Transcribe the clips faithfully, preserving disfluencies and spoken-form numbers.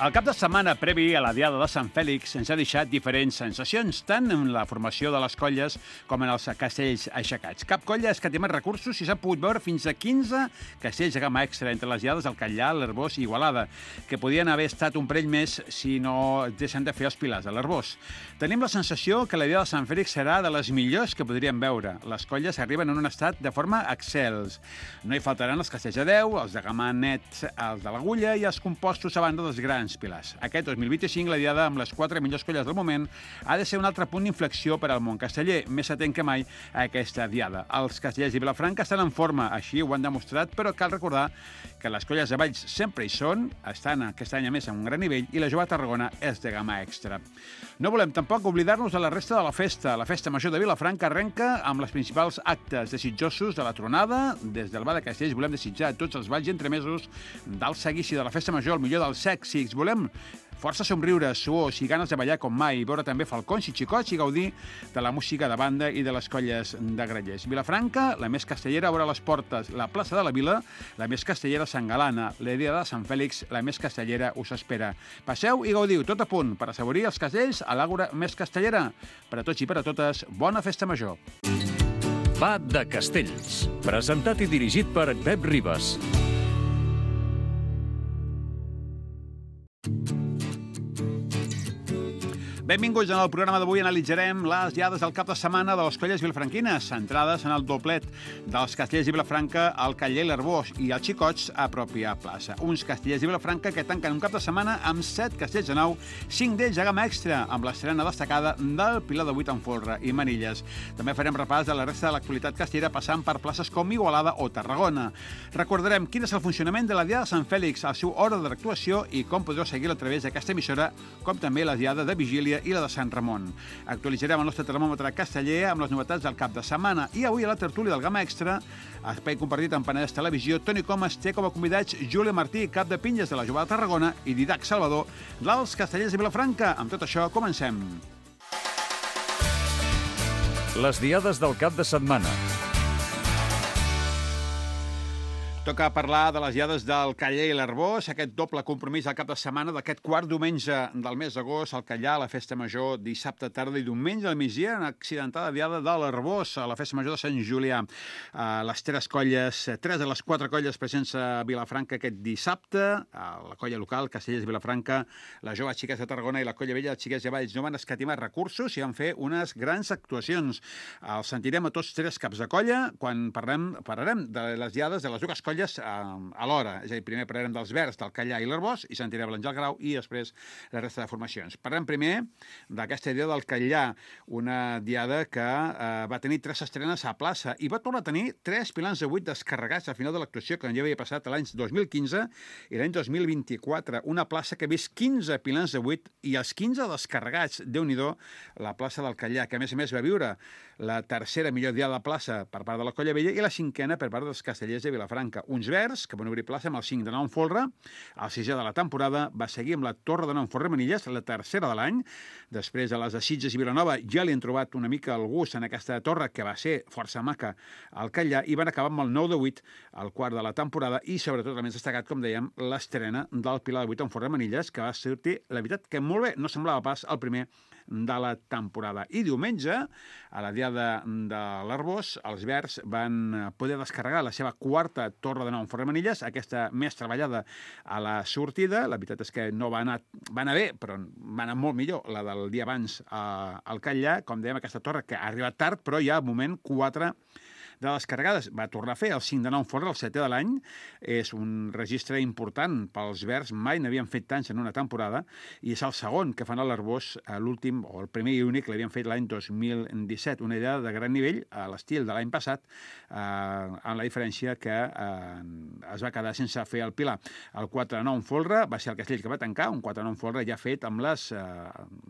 El cap de setmana previ a la Diada de Sant Fèlix ens ha deixat diferents sensacions, tant en la formació de les colles com en els castells aixecats. Cap colla ha escatimat recursos i s'ha pogut veure fins a quinze castells de gamma extra entre les diades del Catllar, l'Arboç i Igualada, que podien haver estat un parell més si no deixen de fer els pilars de l'Arboç. Tenim la sensació que la Diada de Sant Fèlix serà de les millors que podríem veure. Les colles arriben en un estat de forma excels. No hi faltaran els castells de deu, els de gamma net, els de l'agulla i els compostos a banda dels grans pilars. Aquest dos mil vint-i-cinc, la Diada amb les quatre millors colles del moment ha de ser un altre punt d'inflexió per al món casteller, més atent que mai a aquesta Diada. Els castellers de Vilafranca estan en forma, així ho han demostrat, però cal recordar que les colles de Valls sempre hi són, estan aquest any a més a un gran nivell, i la jove Tarragona és de gamma extra. No volem tampoc oblidar-nos de la resta de la festa. La festa major de Vilafranca arrenca amb les principals actes desitjosos de la tronada. Des del Bar de Castells volem desitjar a tots els balls i entremesos del seguici de la festa major el millor dels èxits. Volem força somriures, suors i ganes de ballar com mai, veure també falcons i xicots i gaudir de la música de banda i de les colles de grallers. Vilafranca, la més castellera, obre les portes. La plaça de la Vila, la més castellera, Sant Galana. La Diada de Sant Fèlix, la més castellera, us espera. Passeu i gaudiu, tot a punt, per assaborir els castells a l'àgora més castellera. Per a tots i per a totes, bona festa major. Va de Castells, presentat i dirigit per Pep Ribas. Benvinguts. En el programa d'avui analitzarem les diades del cap de setmana de les colles vilafranquines, centrades en el doblet dels castellers de Vilafranca, el Catllar i l'Arboç, i els xicots a pròpia plaça. Uns castellers de Vilafranca que tanquen un cap de setmana amb set castells de nou, cinc d'ells a gamma extra, amb l'estrena destacada del Pilar de Vuit en folre i manilles. També farem repàs de la resta de l'actualitat castellera, passant per places com Igualada o Tarragona. Recordarem quin és el funcionament de la Diada de Sant Fèlix, el seu ordre d'actuació i com podreu seguir-la a través d'aquesta emissora, com també la Diada de Vigília i la de Sant Ramon. Actualitzarem el nostre termòmetre casteller amb les novetats del cap de setmana i avui a la tertúlia del Gamma Extra, espai compartit amb Penedès Televisió, Toni Comas té com a convidats Júlia Martí, cap de Pinyes de la Jove de Tarragona, i Didac Salvador, dels castellers de Vilafranca. Amb tot això, comencem. Les diades del cap de setmana. Toca parlar de les diades del Catllar i l'Arboç, aquest doble compromís al cap de setmana d'aquest quart diumenge del mes d'agost, al Catllar, a la festa major, dissabte tarda i diumenge al migdia, en accidentada diada de l'Arboç, a la festa major de Sant Julià. Les tres colles, tres de les quatre colles presents a Vilafranca aquest dissabte, la colla local, Castellers de Vilafranca, la jove Xiquets de Tarragona i la colla vella, Xiquets de Valls, no van escatimar recursos i van fer unes grans actuacions. Els sentirem a tots tres caps de colla quan parlem, parlarem de les diades de les dues colles alhora. És a dir, primer parlarem dels Verds, del Catllar i l'Arboç, i sentirem l'Àngel Grau i després la resta de formacions. Parlem primer d'aquesta diada del Catllar, una diada que eh, va tenir tres estrenes a plaça i va tornar a tenir tres pilars de vuit descarregats al final de l'actuació, que ja havia passat l'any dos mil quinze i l'any dos mil vint-i-quatre. Una plaça que ha vist quinze pilars de vuit i els quinze descarregats. Déu-n'hi-do, la plaça del Catllar, que a més a més va viure la tercera millor diada de plaça per part de la colla vella i la cinquena per part dels castellers de Vilafranca. Uns Verds, que van obrir plaça amb el cinc de nou en folre, el sisè de la temporada, va seguir amb la Torre de nou en folre Manilles, la tercera de l'any. Després de les de Sitges i Vilanova ja li han trobat una mica el gust en aquesta torre, que va ser força maca al Catllar, i van acabar amb el nou de vuit, el quart de la temporada, i sobretot el més destacat, com dèiem, l'estrena del Pilar de vuit en folre Manilles, que va sortir, la veritat, que molt bé, no semblava pas el primer de la temporada. I diumenge, a la diada de l'Arboç, els Verds van poder descarregar la seva quarta torre de nou en folre Manilles, aquesta més treballada a la sortida. La veritat és que no va anar, va anar bé, però va anar molt millor la del dia abans a, al Catllar. Com dèiem, aquesta torre que ha arribat tard, però ja al moment quatre de descarregades. Va tornar a fer el cinc de nou en folre, el setè de l'any. És un registre important pels Verds, mai n'havien fet tants en una temporada, i és el segon que fan a l'Arboç, l'últim, o el primer i únic, l'havien fet l'any dos mil disset. Una idea de gran nivell, a l'estil de l'any passat, eh, amb la diferència que eh, es va quedar sense fer el Pilar. El quatre de nou en folre va ser el castell que va tancar, un quatre de nou en folre ja fet amb les, eh,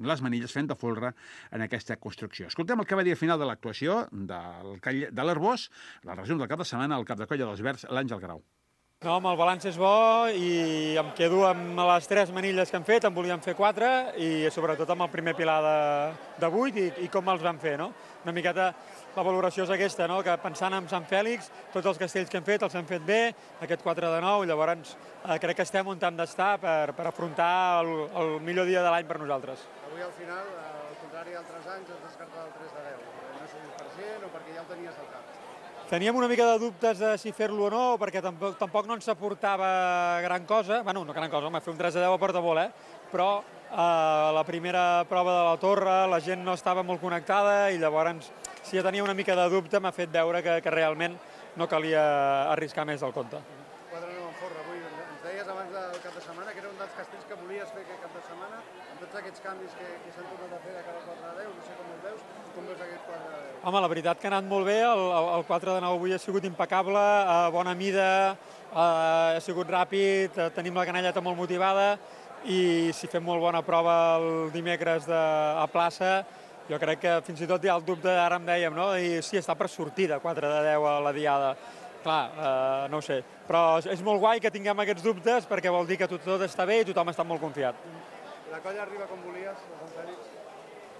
les manilles fent de folre en aquesta construcció. Escoltem el que va dir al final de l'actuació del, de l'Arboç, la resum del cap de setmana, al cap de colla dels Verds, l'Àngel Grau. No, home, el balanç és bo i em quedo amb les tres manilles que hem fet, en volíem fer quatre, i sobretot amb el primer pilar de, de vuit i, i com els vam fer, no? Una miqueta la valoració és aquesta, no? Que pensant en Sant Fèlix, tots els castells que hem fet els hem fet bé, aquest quatre de nou, llavors eh, crec que estem on hem d'estar per, per afrontar el, el millor dia de l'any per nosaltres. Avui al final, al contrari d'altres anys, has descartat el tres de deu. No sé si per cent o perquè ja el tenies al cap. Teníem una mica de dubtes de si fer-lo o no, perquè tampoc, tampoc no ens aportava gran cosa. Bueno, no gran cosa, home, fer un tres de deu a porta molt, eh? Però eh, la primera prova de la torre la gent no estava molt connectada i llavors, si ja tenia una mica de dubte, m'ha fet veure que, que realment no calia arriscar més del compte. quatre nou en forra, avui ens deies abans del cap de setmana que era un dels castells que volies fer aquest cap de setmana, amb tots aquests canvis que, que s'han tornat a fer de cara al quatre de deu, no sé com els veus, com veus aquest quatre de deu? Home, la veritat que ha anat molt bé, el, el quatre de nou avui ha sigut impecable, a bona mida, ha sigut ràpid, tenim la canelleta molt motivada i si fem molt bona prova el dimecres de, a plaça, jo crec que fins i tot hi ha el dubte, ara em dèiem, no? I sí, està per sortir de quatre de deu a la diada. Clar, eh, no ho sé, però és molt guai que tinguem aquests dubtes perquè vol dir que tot, tot està bé i tothom està molt confiat. La colla arriba com volies, a Sant Fèlix?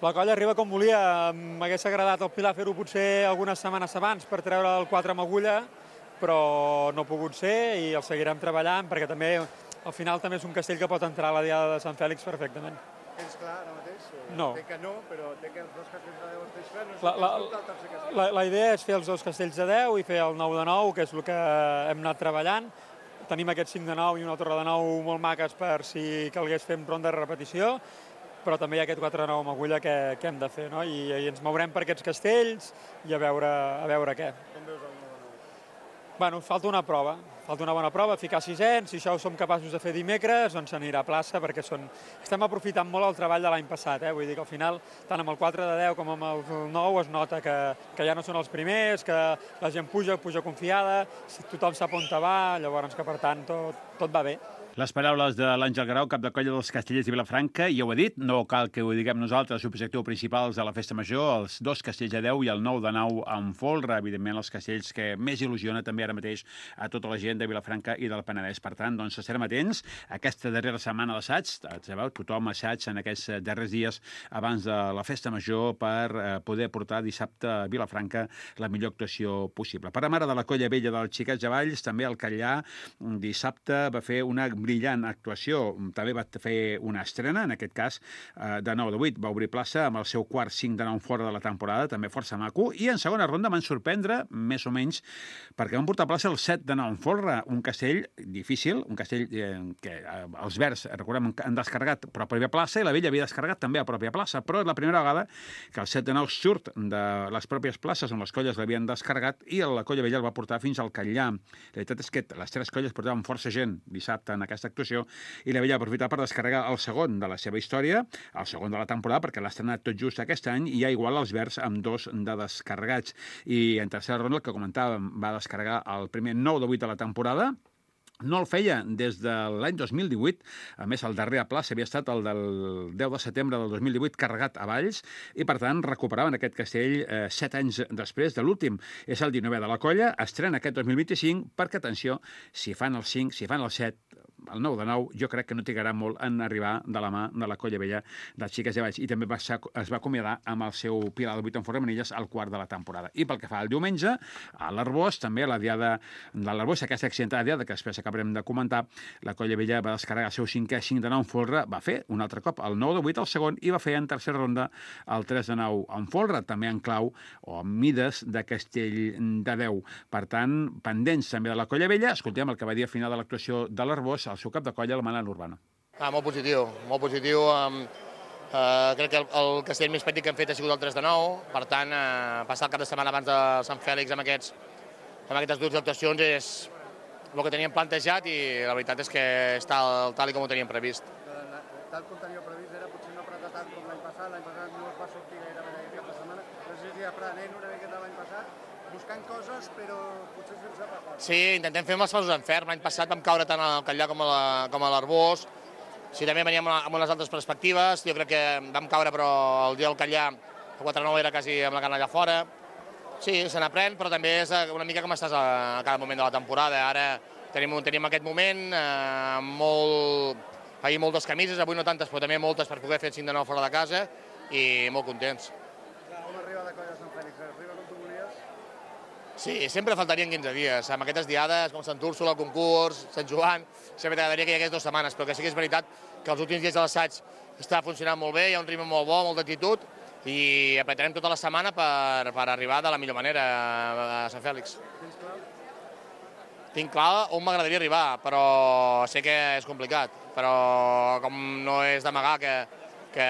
La colla arriba com volia. M'hagués agradat al Pilar fer-ho potser algunes setmanes abans per treure el quatre amb agulla, però no ha pogut ser i el seguirem treballant perquè també al final també és un castell que pot entrar a la diada de Sant Fèlix perfectament. Tens clar ara mateix? No. Té que no, però té que els dos castells de deu els tens clar, no sé La, la, el tercer castell. la, la idea és fer els dos castells de deu i fer el nou de nou, que és el que hem anat treballant. Tenim aquest cinc de nou i una torre de nou molt maques per si calgués fer ronda de repetició, però també hi ha aquest quatre de nou amb agulla que, que hem de fer, no? I, i ens mourem per aquests castells i a veure, a veure què. Com veus el nou de nou? Bueno, falta una prova, falta una bona prova, ficar sisens, si això ho som capaços de fer dimecres, doncs s'anirà a plaça, perquè són... estem aprofitant molt el treball de l'any passat, eh? Vull dir que al final, tant amb el quatre de deu com amb el nou, es nota que, que ja no són els primers, que la gent puja, puja confiada, tothom sap on va, llavors que per tant tot, tot va bé. Les paraules de l'Àngel Grau, cap de colla dels Castellers de Vilafranca, ja ho he dit, no cal que ho diguem nosaltres, l'objectiu principal de la Festa Major, els dos castells de deu i el nou de nou amb folre, evidentment els castells que més il·lusiona també ara mateix a tota la gent de Vilafranca i del Penedès. Per tant, doncs estarem atents a aquesta darrera setmana d'assaig, sabeu, tothom assaig en aquests darrers dies abans de la Festa Major per poder portar dissabte a Vilafranca la millor actuació possible. Per a mare de la colla vella dels Xiquets de Valls, també el Catllà dissabte va fer una brillant actuació. També va fer una estrena, en aquest cas de nou de vuit, va obrir plaça amb el seu quart cinc de nou fora de la temporada, també força maco, i en segona ronda van sorprendre, més o menys, perquè van portar a plaça el set de nou en folre, un castell difícil, un castell eh, que eh, els verds, recordem, han descarregat a pròpia plaça i la vella havia descarregat també a pròpia plaça, però és la primera vegada que el set de nou surt de les pròpies places on les colles l'havien descarregat i la colla vella el va portar fins al Catllà. La veritat és que les tres colles portaven força gent dissabte en aquesta actuació i la vella va aprofitar per descarregar el segon de la seva història, el segon de la temporada, perquè l'ha estrenat tot just aquest any i ja igual els verds amb dos de descarregats. I en tercera ronda, el que comentàvem, va descarregar el primer nou de vuit de la temporada. No el feia des de l'any dos mil divuit, a més el darrer a plaça havia estat el del deu de setembre del dos mil divuit carregat a Valls i per tant recuperaven aquest castell eh, set anys després de l'últim. És el dinovè de la colla, estrena aquest dos mil vint-i-cinc perquè, atenció, si fan el cinc, si fan el set, el nou de nou, jo crec que no trigarà molt en arribar de la mà de la colla vella dels Xiquets de Valls i també va ser, es va acomiadar amb el seu pilar de vuit en forra de manilles al quart de la temporada. I pel que fa al diumenge, a l'Arbós, també a la diada de l'Arbós, aquesta accidentada diada que després acabarem de comentar, la colla vella va descarregar el seu cinquè cinc de nou en folre, va fer un altre cop el nou de vuit al segon i va fer en tercera ronda el tres de nou en folre, també en clau o en mides de castell de deu. Per tant, pendents també de la colla vella, escoltem el que va dir al final de l'actuació de l'Arbós, el seu cap de colla, el Manel Urbano. Ah, molt positiu, molt positiu. Um, uh, crec que el, el castell més petit que hem fet ha sigut el tres de nou, per tant, uh, passar el cap de setmana abans de Sant Fèlix amb, aquests, amb aquestes dues actuacions és el que teníem plantejat i la veritat és que està tal, tal com ho teníem previst. Tal com teníeu previst era potser no apretar tant com l'any passat, l'any passat no es va sortir gairebé aquest cap de setmana, no sé si aprenent una miqueta l'any passat, buscant coses, però potser sense passar. Sí, intentem fer els passos en ferm. L'any passat vam caure tant al Catllà com a l'Arbós. Sí, també veníem amb unes altres perspectives. Jo crec que vam caure, però el dia del Catllà, el quatre nou era quasi amb la canalla fora. Sí, se n'aprèn, però també és una mica com estàs a cada moment de la temporada. Ara tenim, tenim aquest moment, eh, molt, ahir moltes camises, avui no tantes, però també moltes per poder fer el cinc de nou fora de casa i molt contents. Com arriba la colla de Sant Fèlix? Arriba com tu volies? Sí, sempre faltarien quinze dies. Amb aquestes diades, com Sant Úrsula, el concurs, Sant Joan, sempre t'agradaria que hi hagués dues setmanes, però que sí que és veritat que els últims dies de l'assaig està funcionant molt bé, hi ha un ritme molt bo, molta actitud, i apretarem tota la setmana per, per arribar de la millor manera a Sant Fèlix. Tens clar? Tinc clar on m'agradaria arribar, però sé que és complicat, però com no és d'amagar que, que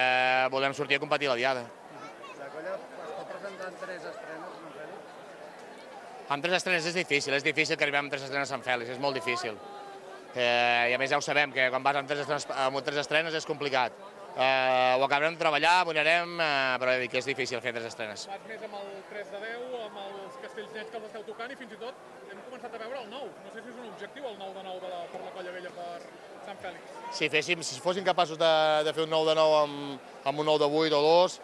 volem sortir a competir la diada. La colla es pot presentar en tres estrenes a Sant Fèlix? Amb tres estrenes és difícil, és difícil que arribem amb tres estrenes a Sant Fèlix, és molt difícil. Eh, I a més ja ho sabem, que quan vas amb tres estrenes, amb tres estrenes és complicat. Eh, ho acabarem de treballar, guanyarem, eh, però he dit que és difícil fer tres estrenes. Vas més amb el tres de deu, amb els castells nets que els esteu tocant i fins i tot hem començat a veure el nou. No sé si és un objectiu el nou de nou de la, per la Colla Vella per Sant Fèlix. Si, féssim, si fóssim capaços de, de fer un nou de nou amb, amb un nou de vuit o dos,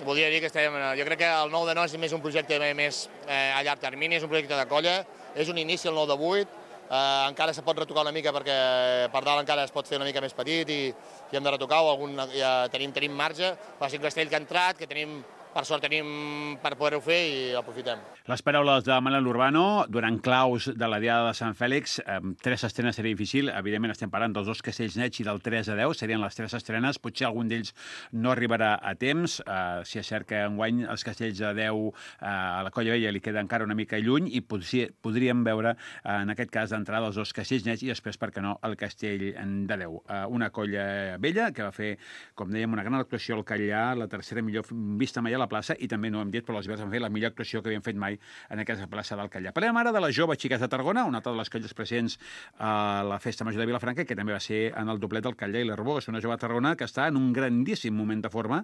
voldria dir que estem... Jo crec que el nou de nou és més un projecte més eh, a llarg termini, és un projecte de colla, és un inici el nou de vuit, eh, encara se pot retocar una mica perquè per dalt encara es pot fer una mica més petit i, i hem de retocar o algun, ja tenim, tenim marge, va ser un castell que ha entrat, que tenim, per sort tenim per poder-ho fer i l'aprofitem. Les paraules de Manel Urbano, durant claus de la Diada de Sant Fèlix, eh, tres estrenes seria difícil, evidentment estem parlant dels dos castells nets i del tres a deu, serien les tres estrenes, potser algun d'ells no arribarà a temps, eh, si és cert que enguany els castells de deu eh, a la Colla Vella li queda encara una mica lluny i potser, podríem veure eh, en aquest cas d'entrada els dos castells nets i després, per què no, el castell de deu. Eh, una colla vella que va fer, com dèiem, una gran actuació al Catllà, la tercera millor vista mai a la plaça i també, no hem dit, però els Verds van fer la millor actuació que havien fet mai en aquesta plaça del Catllà. Parlem ara de la jove Xiquets de Tarragona, una altra de les colles presents a la Festa Major de Vilafranca, que també va ser en el doblet del Catllà i l'Arbós, una jove de Tarragona que està en un grandíssim moment de forma,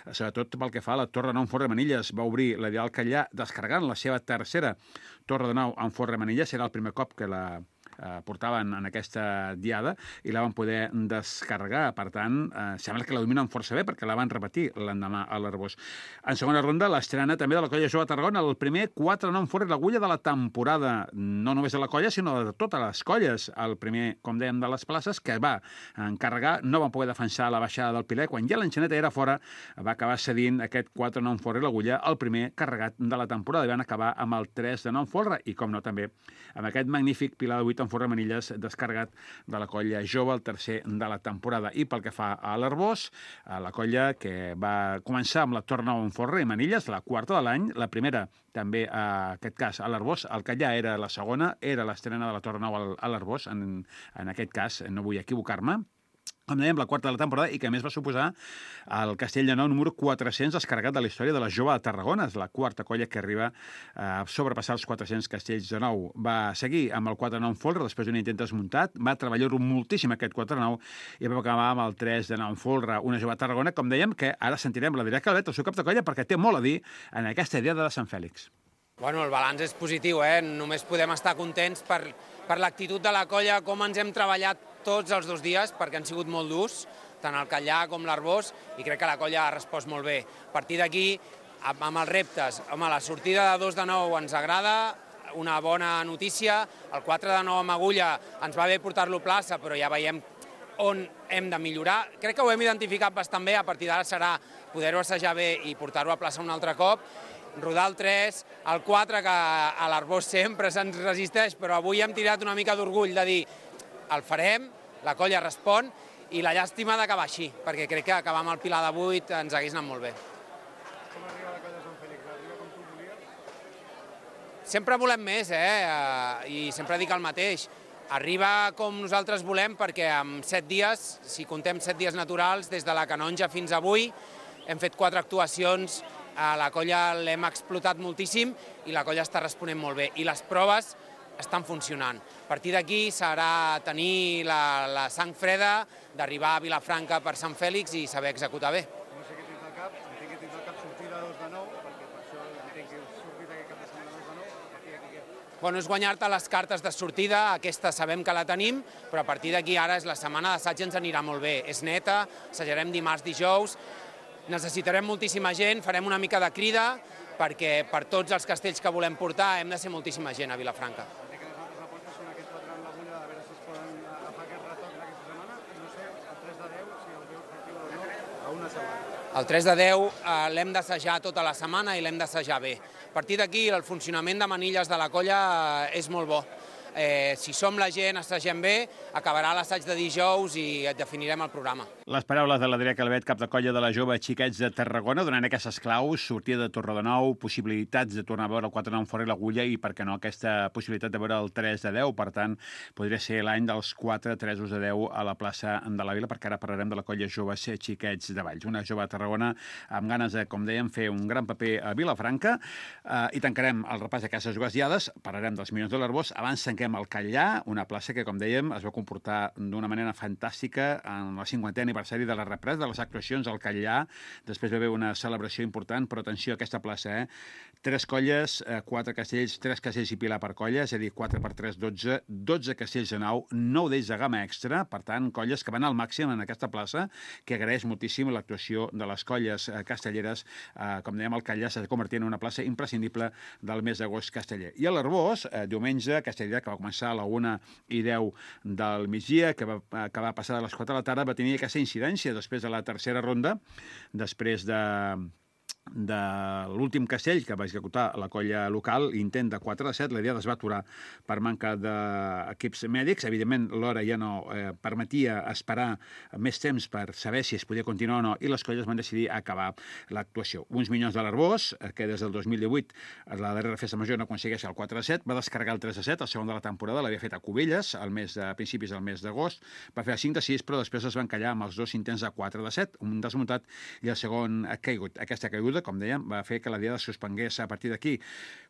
sobretot pel que fa a la Torre de Nou en Font Remanilles. Va obrir la Diada del Catllà descarregant la seva tercera Torre de Nou en Font Remanilles, serà el primer cop que la eh, portaven en aquesta diada i la van poder descarregar. Per tant, eh, sembla que la dominen força bé perquè la van repetir l'endemà a l'Arbós. En segona ronda, l'estrena també de la colla jove de Tarragona, el primer quatre nom fora l'agulla de la temporada, no només de la colla, sinó de totes les colles. El primer, com dèiem, de les places, que va encarregar, no van poder defensar la baixada del Piler. Quan ja l'enxaneta era fora, va acabar cedint aquest quatre nom fora l'agulla, el primer carregat de la temporada. I van acabar amb el tres de nom fora i, com no, també amb aquest magnífic Pilar de vuit en Font Remanilles descarregat de la colla jove, el tercer de la temporada. I pel que fa a l'Arbós, la colla que va començar amb la Torre Nou en Font Remanilles, la quarta de l'any, la primera també, en aquest cas, a l'Arbós, el Catllà era la segona, era l'estrena de la Torre Nou a l'Arbós, en, en aquest cas, no vull equivocar-me, com dèiem, la quarta de la temporada, i que a més va suposar el castell de nou número quatre-cents descarregat de la història de la jove de Tarragona. És la quarta colla que arriba a sobrepassar els quatre-cents castells de nou. Va seguir amb el quatre nou en folre, després d'un intent desmuntat, va treballar-ho moltíssim aquest quatre nou i va acabar amb el tres de nou en folre. Una jove de Tarragona, com dèiem, que ara sentirem la Dirà Calvet, el seu cap de colla, perquè té molt a dir en aquesta Diada de Sant Fèlix. Bueno, el balanç és positiu, eh? Només podem estar contents per, per l'actitud de la colla, com ens hem treballat tots els dos dies, perquè han sigut molt durs, tant el Catllà com l'Arbós, i crec que la colla ha respost molt bé. A partir d'aquí, amb els reptes, home, la sortida de dos de nou ens agrada, una bona notícia, el quatre de nou amb agulla ens va bé portar-lo a plaça, però ja veiem on hem de millorar. Crec que ho hem identificat bastant bé, a partir d'ara serà poder-ho assajar bé i portar-ho a plaça un altre cop, rodar el tres, el quatre, que a l'Arbós sempre se'ns resisteix, però avui hem tirat una mica d'orgull de dir el farem, la colla respon, i la llàstima d'acabar així, perquè crec que acabar amb el Pilar de vuit ens hagués anat molt bé. Com arriba la colla de Sant Fèlix? Arriba com tu volies? Sempre volem més, eh? I sempre dic el mateix. Arriba com nosaltres volem perquè en set dies, si contem set dies naturals, des de la canonja fins avui, hem fet quatre actuacions, a la colla l'hem explotat moltíssim i la colla està responent molt bé. I les proves estan funcionant. A partir d'aquí serà tenir la, la sang freda d'arribar a Vilafranca per Sant Fèlix i saber executar bé. No sé què tens al cap, entenc que tens al cap sortida dos de nou, perquè per això entenc que heu sortit aquest cap de setmana dos de nou, a partir d'aquí què? Bueno, és guanyar-te les cartes de sortida, aquesta sabem que la tenim, però a partir d'aquí ara és la setmana d'assaig, ens anirà molt bé. És neta, assajarem dimarts, dijous, necessitarem moltíssima gent, farem una mica de crida, perquè per tots els castells que volem portar hem de ser moltíssima gent a Vilafranca. Entenc que les altres apostes són aquest quatre en l'agulla de setmana? El tres de deu eh, l'hem d'assajar tota la setmana i l'hem d'assajar bé. A partir d'aquí, el funcionament de manilles de la colla eh, és molt bo. Eh, si som la gent, assagem bé, acabarà l'assaig de dijous i et definirem el programa. Les paraules de l'Adrià Calvet, cap de colla de la Jove Xiquets de Tarragona, donant aquestes claus, sortida de Torredenou, possibilitats de tornar a veure el quatre nou fora i l'Agulla i, per què no, aquesta possibilitat de veure el tres de deu. Per tant, podria ser l'any dels quatre tresos de deu a la plaça de la Vila, perquè ara parlarem de la colla Joves Xiquets de Valls. Una jove de Tarragona amb ganes de, com dèiem, fer un gran paper a Vilafranca eh, i tancarem el repàs d'aquestes dues diades, parlarem dels Minyons de l'Arbós, abans tanquem el Catllà, una plaça que, com dèiem, es va comportar d'una manera fantàstica en el cinquantè aniversari de la represa de les actuacions al Catllà. Després va haver una celebració important, però atenció a aquesta plaça, eh? Tres colles, eh, quatre castells, tres castells i pilar per colla, és a dir, quatre per tres, dotze, dotze castells de nau, nou d'ells de gamma extra, per tant, colles que van al màxim en aquesta plaça, que agraeix moltíssim l'actuació de les colles eh, castelleres. Eh, com dèiem, el Catllà s'ha convertit en una plaça imprescindible del mes d'agost casteller. I a l'Arbós, eh, diumenge, castellera, que va començar a la una i deu del migdia, que va acabar passada a les quatre de la tarda, va tenir aquesta incidència després de la tercera ronda, després de de l'últim castell que va executar la colla local, intent de quatre de set, la diada es va aturar per manca d'equips mèdics. Evidentment, l'hora ja no eh, permetia esperar més temps per saber si es podia continuar o no, i les colles van decidir acabar l'actuació. Uns Minyons de l'Arbós, que des del dos mil divuit, la darrera festa major no aconsegueix el quatre de set, va descarregar el tres de set, el segon de la temporada, l'havia fet a Cubelles, al mes de, a principis del mes d'agost, va fer el cinc de sis, però després es van callar amb els dos intents de quatre de set, un desmuntat i el segon caigut. Aquesta caiguda, com dèiem, va fer que la diada es suspengués a partir d'aquí.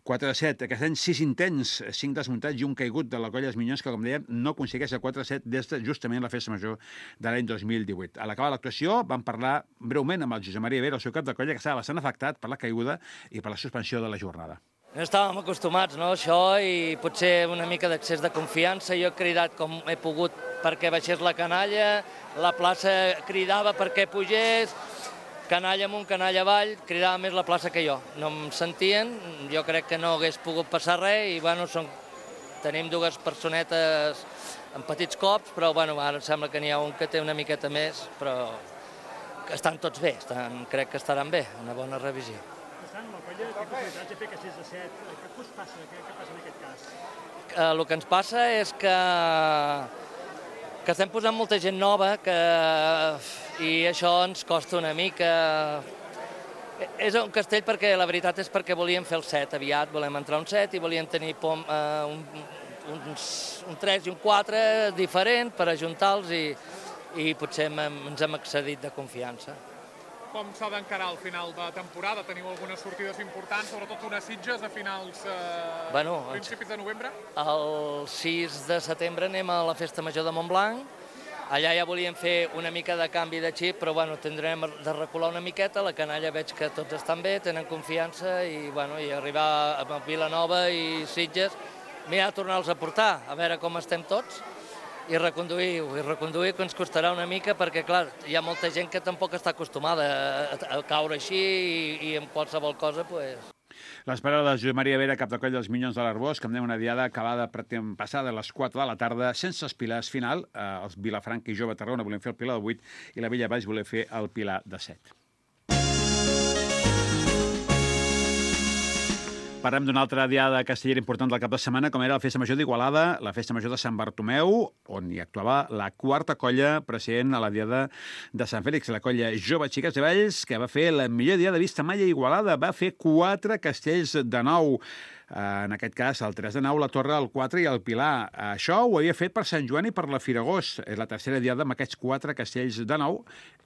quatre de set, aquest any sis intents, cinc desmuntats i un caigut de la colla dels Minyons, que, com dèiem, no aconsegueix el quatre de set des de justament la festa major de l'any dos mil divuit. A l'acabar l'actuació vam parlar breument amb el Josep Maria Vera, el seu cap de colla, que estava bastant afectat per la caiguda i per la suspensió de la jornada. No estàvem acostumats, no, a això, i potser una mica d'accés de confiança. Jo he cridat com he pogut perquè baixés la canalla, la plaça cridava perquè pugés, canalla amunt, canalla avall, cridava més la plaça que jo. No em sentien, jo crec que no hagués pogut passar res i, bueno, som, tenim dues personetes amb petits cops, però, bueno, ara em sembla que n'hi ha un que té una miqueta més, però que estan tots bé, estan, crec que estaran bé, una bona revisió. Estan, la colla té possibilitats de fer castells de set. Què us passa? Què, què passa en aquest cas? Eh, el que ens passa és que que estem posant molta gent nova que, i això ens costa una mica. És un castell perquè la veritat és perquè volíem fer el set aviat, volem entrar un set i volíem tenir pom, eh, un, uns, un tres i un quatre diferent per ajuntar-los i, i potser hem, ens hem excedit de confiança. Com s'ha d'encarar al final de temporada? Teniu algunes sortides importants, sobretot unes Sitges a finals, eh, bueno, principis de novembre? El sis de setembre anem a la Festa Major de Montblanc. Allà ja volíem fer una mica de canvi de xip, però bueno, tindrem de recular una miqueta. La canalla veig que tots estan bé, tenen confiança i, bueno, i arribar a Vilanova i Sitges, m'hi ha tornar-los a portar, a veure com estem tots. I reconduir-ho, i reconduir que ens costarà una mica perquè, clar, hi ha molta gent que tampoc està acostumada a, a caure així i, i en qualsevol cosa, doncs... Les paraules de Josep Maria Vera, cap de colla dels Minyons de l'Arbós, que em deia una diada acabada passada a les quatre de la tarda, sense els pilars final. Eh, els Vilafranca i Jove Tarragona volem fer el pilar de vuit i la Vella Valls volem fer el pilar de set. Parlem d'una altra diada castellera important del cap de setmana, com era la Festa Major d'Igualada, la Festa Major de Sant Bartomeu, on hi actuava la quarta colla present a la diada de Sant Fèlix, la colla Jove Xiquets de Valls, que va fer la millor diada vista mai a Igualada, va fer quatre castells de nou. En aquest cas, el tres de nou, la Torre, el quatre i el Pilar. Això ho havia fet per Sant Joan i per la Firagós. És la tercera diada amb aquests quatre castells de nou.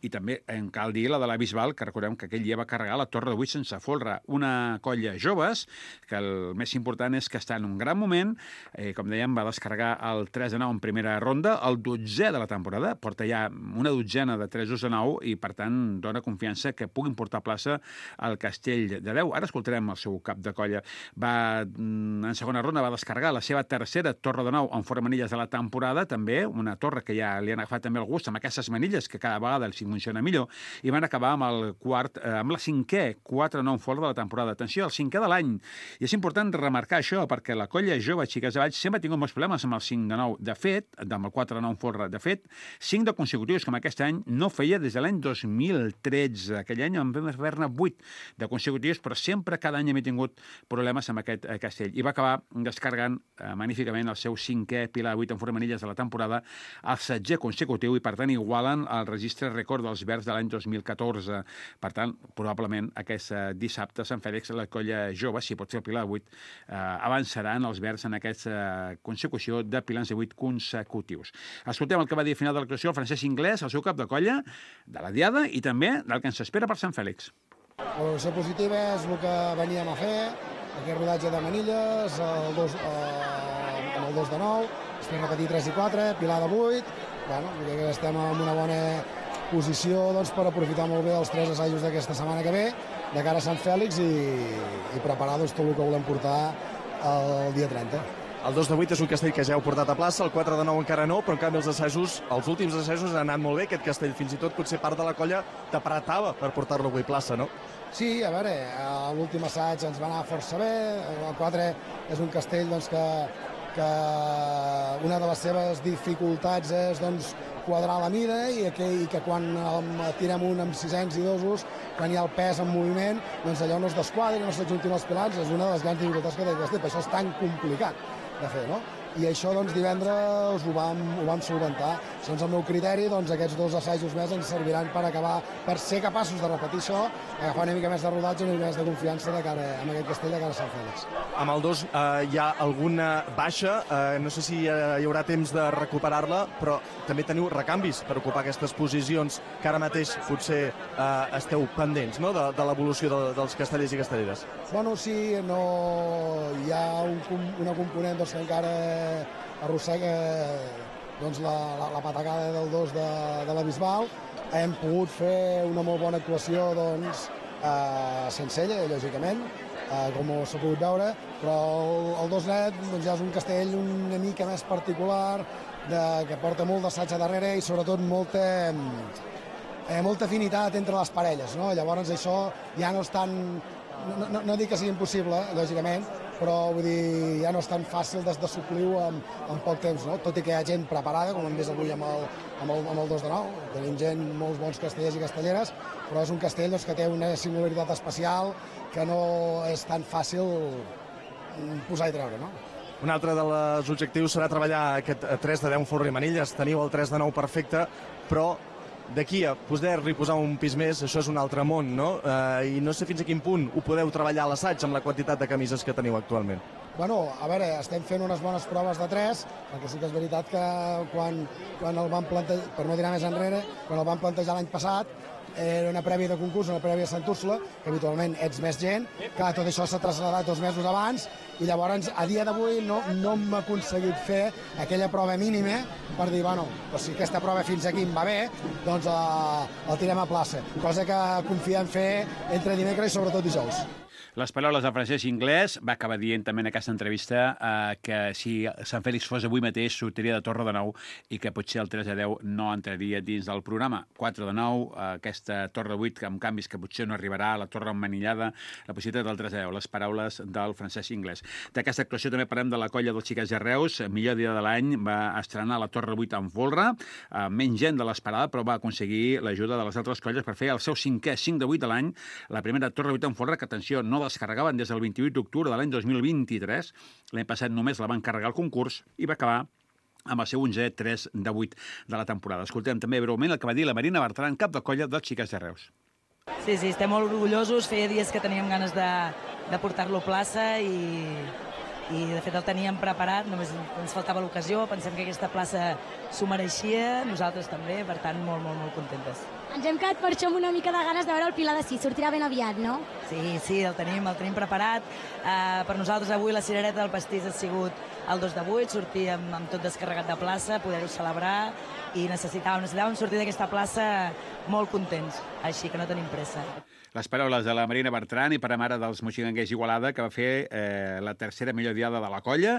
I també en cal dir la de la Bisbal, que recordem que aquell dia va carregar la Torre de vuit sense folre. Una colla joves, que el més important és que està en un gran moment. Eh, com dèiem, va descarregar el tres de nou en primera ronda, el dotzè de la temporada. Porta ja una dotzena de tresos de nou i, per tant, dona confiança que puguin portar plaça al castell de deu. Ara escoltarem el seu cap de colla. Va en segona ronda va descarregar la seva tercera torre de nou en forma manilles de la temporada, també una torre que ja li han agafat també el gust amb aquestes manilles, que cada vegada els funciona millor, i van acabar amb el quart, eh, amb la cinquè quatre nou folre de la temporada. Atenció, el cinquè de l'any. I és important remarcar això, perquè la colla jove Xiques de Valls sempre ha tingut molts problemes amb el cinc de nou. De fet, amb el quatre nou folre, de fet, cinc de consecutius, com aquest any no feia des de l'any dos mil tretze. Aquell any en vam haver-ne vuit de consecutius, però sempre cada any hem tingut problemes amb aquest eh, castell. I va acabar descarregant eh, magníficament el seu cinquè pilar vuit en forma manilles de la temporada, el setze consecutiu, i per tant igualen el registre rècord dels verds de l'any dos mil catorze. Per tant, probablement aquest eh, dissabte a Sant Fèlix la colla jove, si pot fer el pilar vuit, eh, avançaran els verds en aquesta eh, consecució de pilars de vuit consecutius. Escoltem el que va dir al final de l'actuació el Francesc Inglés, el seu cap de colla, de la Diada i també del que ens espera per Sant Fèlix. La valoració positiva és el que veníem a fer, aquest rodatge de manilles, el dos, eh, amb el dos de nou, després repetir tres i quatre, pilar de vuit, bueno, crec que estem en una bona posició doncs, per aprofitar molt bé els tres assajos d'aquesta setmana que ve, de cara a Sant Fèlix, i, i preparar doncs, tot el que volem portar el dia trenta. El dos de vuit és un castell que ja heu portat a plaça, el quatre de nou encara no, però en canvi els assajos, els últims assajos han anat molt bé, aquest castell, fins i tot potser part de la colla t'apretava per portar-lo avui a plaça, no? Sí, a veure, l'últim assaig ens va anar força bé, el quatre és un castell doncs, que, que una de les seves dificultats és doncs, quadrar la mida i que, i que quan el, tirem un amb sisens i dosos, quan hi ha el pes en moviment, doncs allò no es desquadri, no s'adjuntin els pilars, és una de les grans dificultats que té el castell, per això és tan complicat de fer, no? I això doncs, divendres ho vam, ho vam solventar. Segons el meu criteri, doncs, aquests dos assajos més ens serviran per acabar, per ser capaços de repetir això, agafar una mica més de rodatge, una mica més de confiança de cara, amb aquest castell de cara a Sant Fèlix. Amb el dos eh, hi ha alguna baixa, eh, no sé si eh, hi haurà temps de recuperar-la, però també teniu recanvis per ocupar aquestes posicions que ara mateix potser eh, esteu pendents, no?, de, de l'evolució de, dels castellers i castelleres. Bueno, sí, no... hi ha un, una component doncs, que encara arrossega doncs, la, la, la patacada del dos de, de la Bisbal. Hem pogut fer una molt bona actuació doncs, eh, sense ella, lògicament, eh, com s'ha pogut veure, però el, el dos net doncs, ja és un castell una mica més particular, de, que porta molt d'assaig a darrere i sobretot molta, eh, molta afinitat entre les parelles. No? Llavors això ja no és tan... No, no, no dic que sigui impossible, lògicament, però vull dir, ja no és tan fàcil de, de suplir-ho en, en poc temps, no? Tot i que hi ha gent preparada, com hem vist avui amb el, amb el, amb el dos de nou, tenim gent, molts bons castellers i castelleres, però és un castell doncs, que té una singularitat especial que no és tan fàcil posar i treure, no? Un altre dels objectius serà treballar aquest tres de deu folre i manilles, teniu el tres de nou perfecte, però d'aquí a poder-li posar un pis més, això és un altre món, no? Eh, I no sé fins a quin punt ho podeu treballar a l'assaig amb la quantitat de camises que teniu actualment. Bueno, a veure, estem fent unes bones proves de tres, perquè sí que és veritat que quan, quan el van plantejar, per no tirar més enrere, quan el van plantejar l'any passat, era una prèvia de concurs, una prèvia de Sant Úrsula, que habitualment ets més gent, que tot això s'ha traslladat dos mesos abans, i llavors a dia d'avui no, no hem aconseguit fer aquella prova mínima per dir, bueno, doncs si aquesta prova fins aquí em va bé, doncs eh, el tirem a plaça, cosa que confiem fer entre dimecres i sobretot dijous. Les paraules del Francesc Inglés va acabar dient també en aquesta entrevista eh, que si Sant Fèlix fos avui mateix sortiria de torre de nou i que potser el tres a deu no entraria dins del programa. quatre de nou, eh, aquesta torre vuit amb canvis que potser no arribarà, la torre emmanillada, la possibilitat del tres a deu, les paraules del Francesc Inglés. D'aquesta actuació també parlem de la colla dels Xiques de Reus, millor dia de l'any, va estrenar la torre vuit en folre, eh, menys gent de l'esperada, però va aconseguir l'ajuda de les altres colles per fer el seu cinquè cinc de vuit de l'any, la primera torre vuit en folre, que, atenció, no descarregaven des del vint-i-vuit d'octubre de l'any dos mil vint-i-tres. L'any passat només la van carregar al concurs i va acabar amb el seu onzè tres de vuit de la temporada. Escoltem també breument el que va dir la Marina Bertran, cap de colla dels Xiques de Reus. Sí, sí, estem molt orgullosos. Feia dies que teníem ganes de, de portar-lo a plaça i, i de fet el teníem preparat, només ens faltava l'ocasió, pensem que aquesta plaça s'ho mereixia, nosaltres també, per tant, molt, molt, molt contentes. Ens hem quedat per això amb una mica de ganes de veure el Pilar de Sis, sortirà ben aviat, no? Sí, sí, el tenim, el tenim preparat. Uh, per nosaltres avui la cirereta del pastís ha sigut el dos de vuit, sortir amb, amb tot descarregat de plaça, poder-ho celebrar, i necessitàvem, necessitàvem sortir d'aquesta plaça molt contents, així que no tenim pressa. Les paraules de la Marina Bertran i pare mare dels moixiganguers Igualada, que va fer eh, la tercera millor diada de la colla,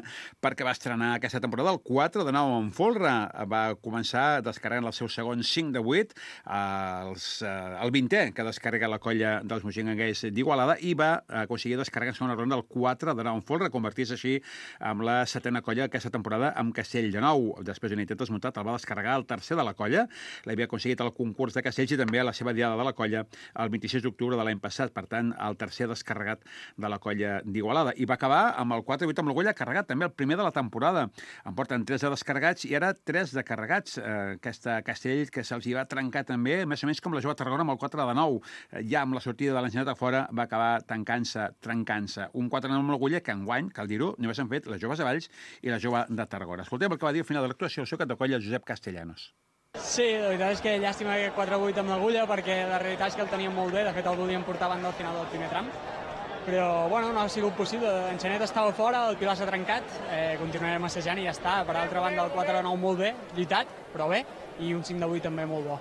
perquè va estrenar aquesta temporada el quatre de nou en folre. Va començar descarregant el seu segon cinc de vuit, eh, els, eh, el vintè que descarrega la colla dels moixiganguers d'Igualada, i va aconseguir descarregar en segona ronda el quatre de nou en folre, convertir-se així amb la setena colla aquesta temporada amb Castell de Nou. Després d'un intent desmuntat el va descarregar el tercer de la colla, l'havia aconseguit al concurs de Castells i també a la seva diada de la colla el vint-i-sis d'octubre de l'any passat, per tant, el tercer descarregat de la colla d'Igualada. I va acabar amb el quatre vuit amb l'Orgulla carregat, també el primer de la temporada. En porten tres de descarregats i ara tres de carregats. Eh, aquesta Castell que se'ls hi va trencar també, més o menys com la jove Tarragona amb el quatre de nou. Eh, ja amb la sortida de l'enginat a fora va acabar tancant-se, trencant-se. Un quatre de nou amb l'Orgulla que enguany, cal dir-ho, només han fet les joves de Valls i la jove de Tarragona. Escoltem el que va dir al final de l'actuació el seu cap de colla, Josep Castellanos. Sí, la veritat és que llàstima aquest quatre vuit amb l'Agulla, perquè la realitat és que el teníem molt bé, de fet el volíem portar abans del final del primer tram, però bueno, no ha sigut possible. En Xanet estava fora, el Pilar s'ha trencat, eh, continuarem assajant i ja està. Per altra banda, el quatre de nou molt bé, lluitat, però bé, i un cinc de vuit també molt bo.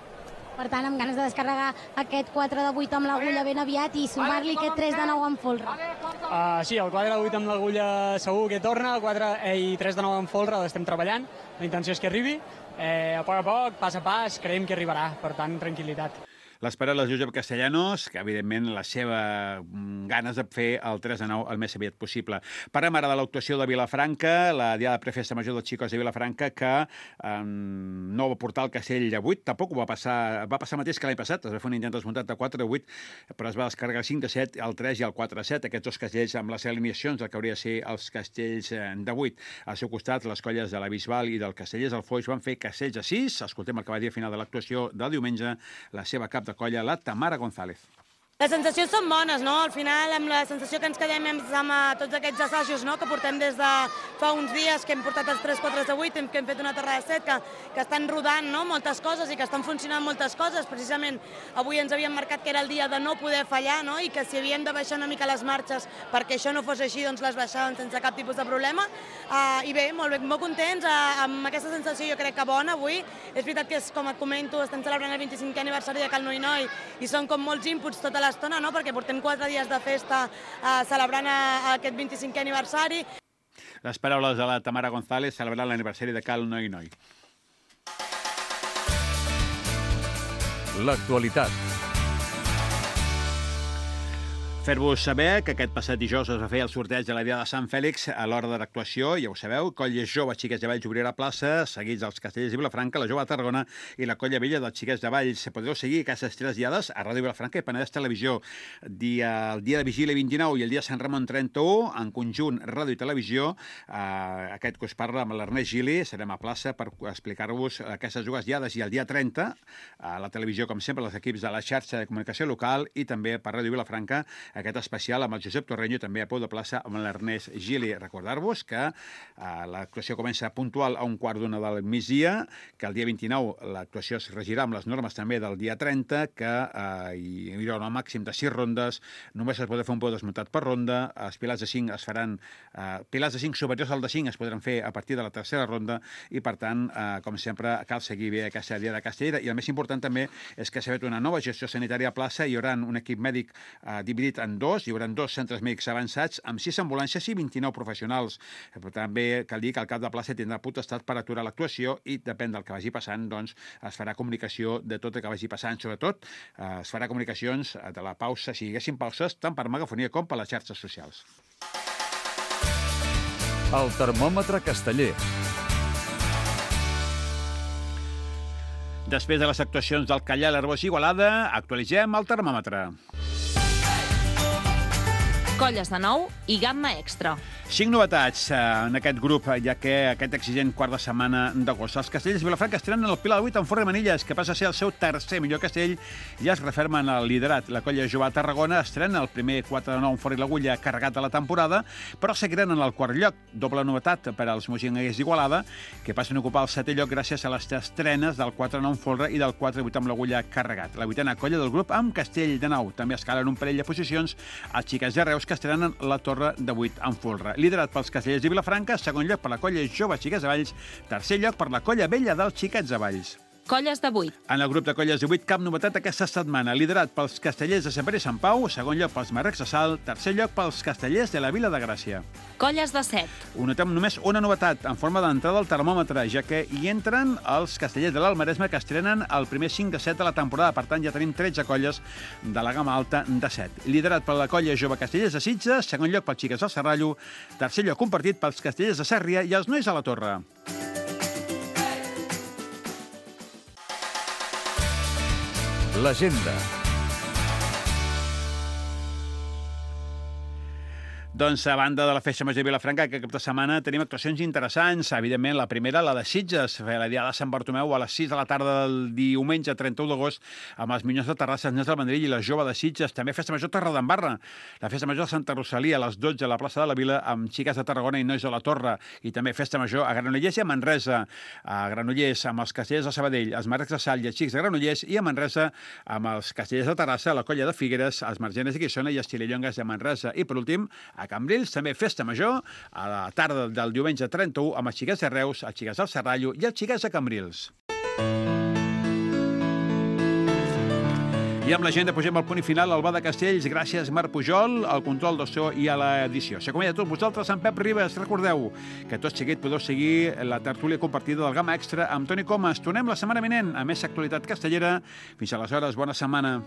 Per tant, amb ganes de descarregar aquest quatre de vuit amb l'Agulla ben aviat i sumar-li aquest tres de nou amb folre. Uh, sí, el quatre de vuit amb l'Agulla segur que torna, el quatre eh, i tres de nou amb folre l'estem treballant, la intenció és que arribi. Eh, a poc a poc, pas a pas, creiem que arribarà, per tant, tranquil·litat. Les paraules de Josep Castellanos, que evidentment la seva ganes de fer el tres de nou el més aviat possible. Parlem ara de l'actuació de Vilafranca, la diada prefesta major dels xicos de Vilafranca, que eh, no va portar el Castell de vuit, tampoc ho va passar, va passar mateix que l'any passat, es va fer un intent desmuntat de quatre de vuit, però es va descarregar el cinc de set, el tres i el quatre de set, aquests dos castells amb les eliminacions del que hauria de ser els castells de vuit. Al seu costat, les colles de la Bisbal i del Castellers del Foix van fer castells de sis. Escoltem el que va dir al final de l'actuació del diumenge la seva cap de colla, la Tamara González. Les sensacions són bones, no? Al final, amb la sensació que ens quedem amb, amb tots aquests assajos, no?, que portem des de fa uns dies, que hem portat els tres quatre de vuit, que hem fet una terra de set, que, que estan rodant, no?, moltes coses i que estan funcionant moltes coses. Precisament avui ens havíem marcat que era el dia de no poder fallar, no?, i que si havíem de baixar una mica les marxes perquè això no fos així, doncs les baixàvem sense cap tipus de problema. Uh, I bé, molt bé, molt contents, uh, amb aquesta sensació jo crec que bona avui. És veritat que, és, com et comento, estem celebrant el vint-i-cinquè aniversari de Cal Noi Noi i són com molts inputs tota l'estona, no?, perquè portem quatre dies de festa eh, celebrant a, a aquest vint-i-cinquè aniversari. Les paraules de la Tamara González celebrant l'aniversari de Cal Noi Noi. L'actualitat. Fer-vos saber que aquest passat dijous es va fer el sorteig de la Diada de Sant Fèlix a l'hora de l'actuació, ja ho sabeu, Colles Joves Xiquets de Valls obrirà plaça, seguits els Castellers de Vilafranca, la Jove de Tarragona i la Colla Vella dels Xiquets de Valls. Podreu seguir aquestes tres diades a Ràdio Vilafranca i Penedès Televisió. Dia, el dia de Vigília vint-i-nou i el dia de Sant Ramon trenta-u, en conjunt Ràdio i Televisió, eh, aquest que us parla amb l'Ernest Gili, serem a plaça per explicar-vos aquestes dues diades. I el dia trenta, a la televisió, com sempre, els equips de la xarxa de comunicació local i també per Ràdio Vilafranca, aquest especial amb el Josep Torreño, també a peu de plaça amb l'Ernest Gili. Recordar-vos que eh, l'actuació comença puntual a un quart d'una del migdia, que el dia vint-i-nou l'actuació es regirà amb les normes també del dia trenta, que eh, hi haurà un màxim de sis rondes, només es podrà fer un peu desmuntat per ronda, els pilars de cinc es faran, eh, pilars de cinc superiors al de cinc es podran fer a partir de la tercera ronda i, per tant, eh, com sempre, cal seguir bé aquesta dia de Castellera. I el més important també és que s'ha fet una nova gestió sanitària a plaça, hi haurà un equip mèdic eh, dividit en dos, hi haurà dos centres mèdics avançats amb sis ambulàncies i vint-i-nou professionals. Però també cal dir que el cap de plaça tindrà potestat per aturar l'actuació i depèn del que vagi passant, doncs es farà comunicació de tot el que vagi passant. Sobretot eh, es farà comunicacions de la pausa, si hi haguessin pauses, tant per megafonia com per les xarxes socials. El termòmetre casteller. Després de les actuacions del Callar, l'Arbós i Igualada, actualitzem el termòmetre. Colles de nou i gamma extra. Cinc novetats en aquest grup, ja que aquest exigent quart de setmana d'agost. Els castellers de Vilafranca estrenen el Pilar de vuit amb Forre Manilles, que passa a ser el seu tercer millor castell, ja es referma en el liderat. La colla jove a Tarragona estrena el primer quatre de nou amb Forre i l'Agulla carregat a la temporada, però seguiran en el quart lloc. Doble novetat per als moixinguers d'Igualada, que passen a ocupar el setè lloc gràcies a les estrenes del quatre de nou amb Forre i del quatre de vuit amb l'Agulla carregat. La vuitena colla del grup amb Castell de Nou. També escalen un parell de posicions els xiquets de Reus, que estrenen la Torre de vuit amb Folre. Liderat pels castellers de Vilafranca, segon lloc per la colla jove Xiquets de Valls, tercer lloc per la colla vella dels Xiquets de Valls. Colles de vuit. En el grup de colles de vuit, cap novetat aquesta setmana. Liderat pels castellers de Sant Pere i Sant Pau, segon lloc pels Marrecs de Salt, tercer lloc pels castellers de la Vila de Gràcia. Colles de set. Ho notem només una novetat, en forma d'entrada al termòmetre, ja que hi entren els castellers de l'Almaresme, que estrenen el primer cinc de set de la temporada. Per tant, ja tenim tretze colles de la gamma alta de set. Liderat per la colla jove castellers de Sitges, segon lloc pels Xiquets del Serrallo, tercer lloc compartit pels castellers de Sàrria i els Nois a la Torre. L'agenda. Doncs a banda de la Festa Major de Vilafranca, aquest cap de setmana tenim actuacions interessants. Evidentment, la primera, la de Sitges, la Diada de Sant Bartomeu a les sis de la tarda del diumenge trenta-u d'agost amb els Minyons de Terrassa, els Nens del Vendrell i la Jove de Sitges. També Festa Major Torredembarra, la Festa Major de Santa Rosalia a les dotze a la plaça de la Vila amb Xiques de Tarragona i Nois de la Torre. I també Festa Major a Granollers i a Manresa. A Granollers amb els castellers de Sabadell, els Marrecs de Salt i els Xics de Granollers, i a Manresa amb els castellers de Terrassa, la Colla de Figueres, els Margenes de Guissona i els Xilellongues de Manresa. I per últim, a Cambrils, també Festa Major, a la tarda del diumenge trenta-u, amb els Xiquets de Reus, els Xiquets del Serrallo i els Xiquets de Cambrils. I amb l'agenda pugem al punt i final al Bar de Castells. Gràcies, Marc Pujol, al control del so i a l'edició. S'acomiada a tots vosaltres, en Pep Ribes. Recordeu que tot seguit podeu seguir la tertúlia compartida del Gamma Extra amb Toni Comas. Tornem la setmana vinent a més actualitat castellera. Fins aleshores, bona setmana.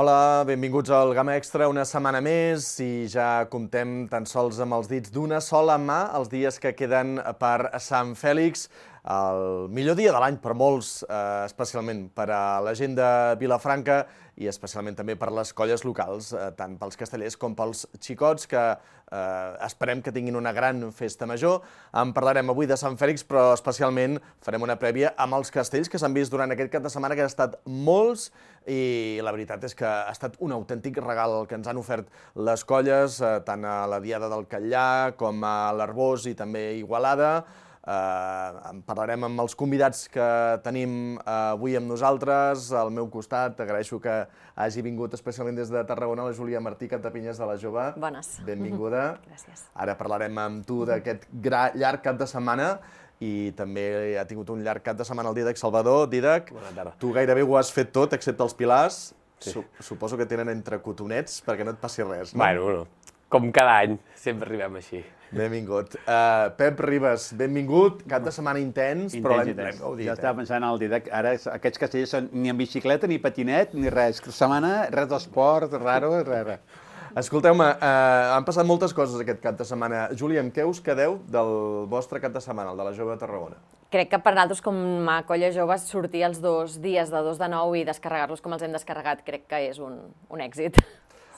Hola, benvinguts al Gamma Extra, una setmana més i ja comptem tan sols amb els dits d'una sola mà els dies que queden per Sant Fèlix, el millor dia de l'any per molts, eh, especialment per a la gent de Vilafranca i especialment també per les colles locals, eh, tant pels castellers com pels xicots, que eh, esperem que tinguin una gran festa major. En parlarem avui de Sant Fèlix, però especialment farem una prèvia amb els castells que s'han vist durant aquest cap de setmana, que han estat molts, i la veritat és que ha estat un autèntic regal el que ens han ofert les colles, eh, tant a la Diada del Catllà com a l'Arbós i també a Igualada. Uh, en parlarem amb els convidats que tenim uh, avui amb nosaltres. Al meu costat, agraeixo que hagi vingut especialment des de Tarragona la Júlia Martí, Captapinyes de la Jove. Bones. Benvinguda. Gràcies. Ara parlarem amb tu d'aquest llarg cap de setmana i també ha tingut un llarg cap de setmana el Dídac Salvador. Dídac, tu gairebé ho has fet tot, excepte els pilars. Sí. Suposo que tenen entre cotonets perquè no et passi res, no? Bueno, bueno, com cada any, sempre arribem així. Benvingut. Uh, Pep Ribes, benvingut. Cap de setmana intens, intens però l'hem gaudit. Jo estava pensant al Dídac, ara aquests castellers són ni en bicicleta, ni patinet, ni res. Setmana, res d'esport, raro, res, res. Escolteu-me, uh, han passat moltes coses aquest cap de setmana. Júlia, amb què us quedeu del vostre cap de setmana, el de la Jove de Tarragona? Crec que per nosaltres, com a colla jove, sortir els dos dies de dos de nou i descarregar-los com els hem descarregat, crec que és un, un èxit.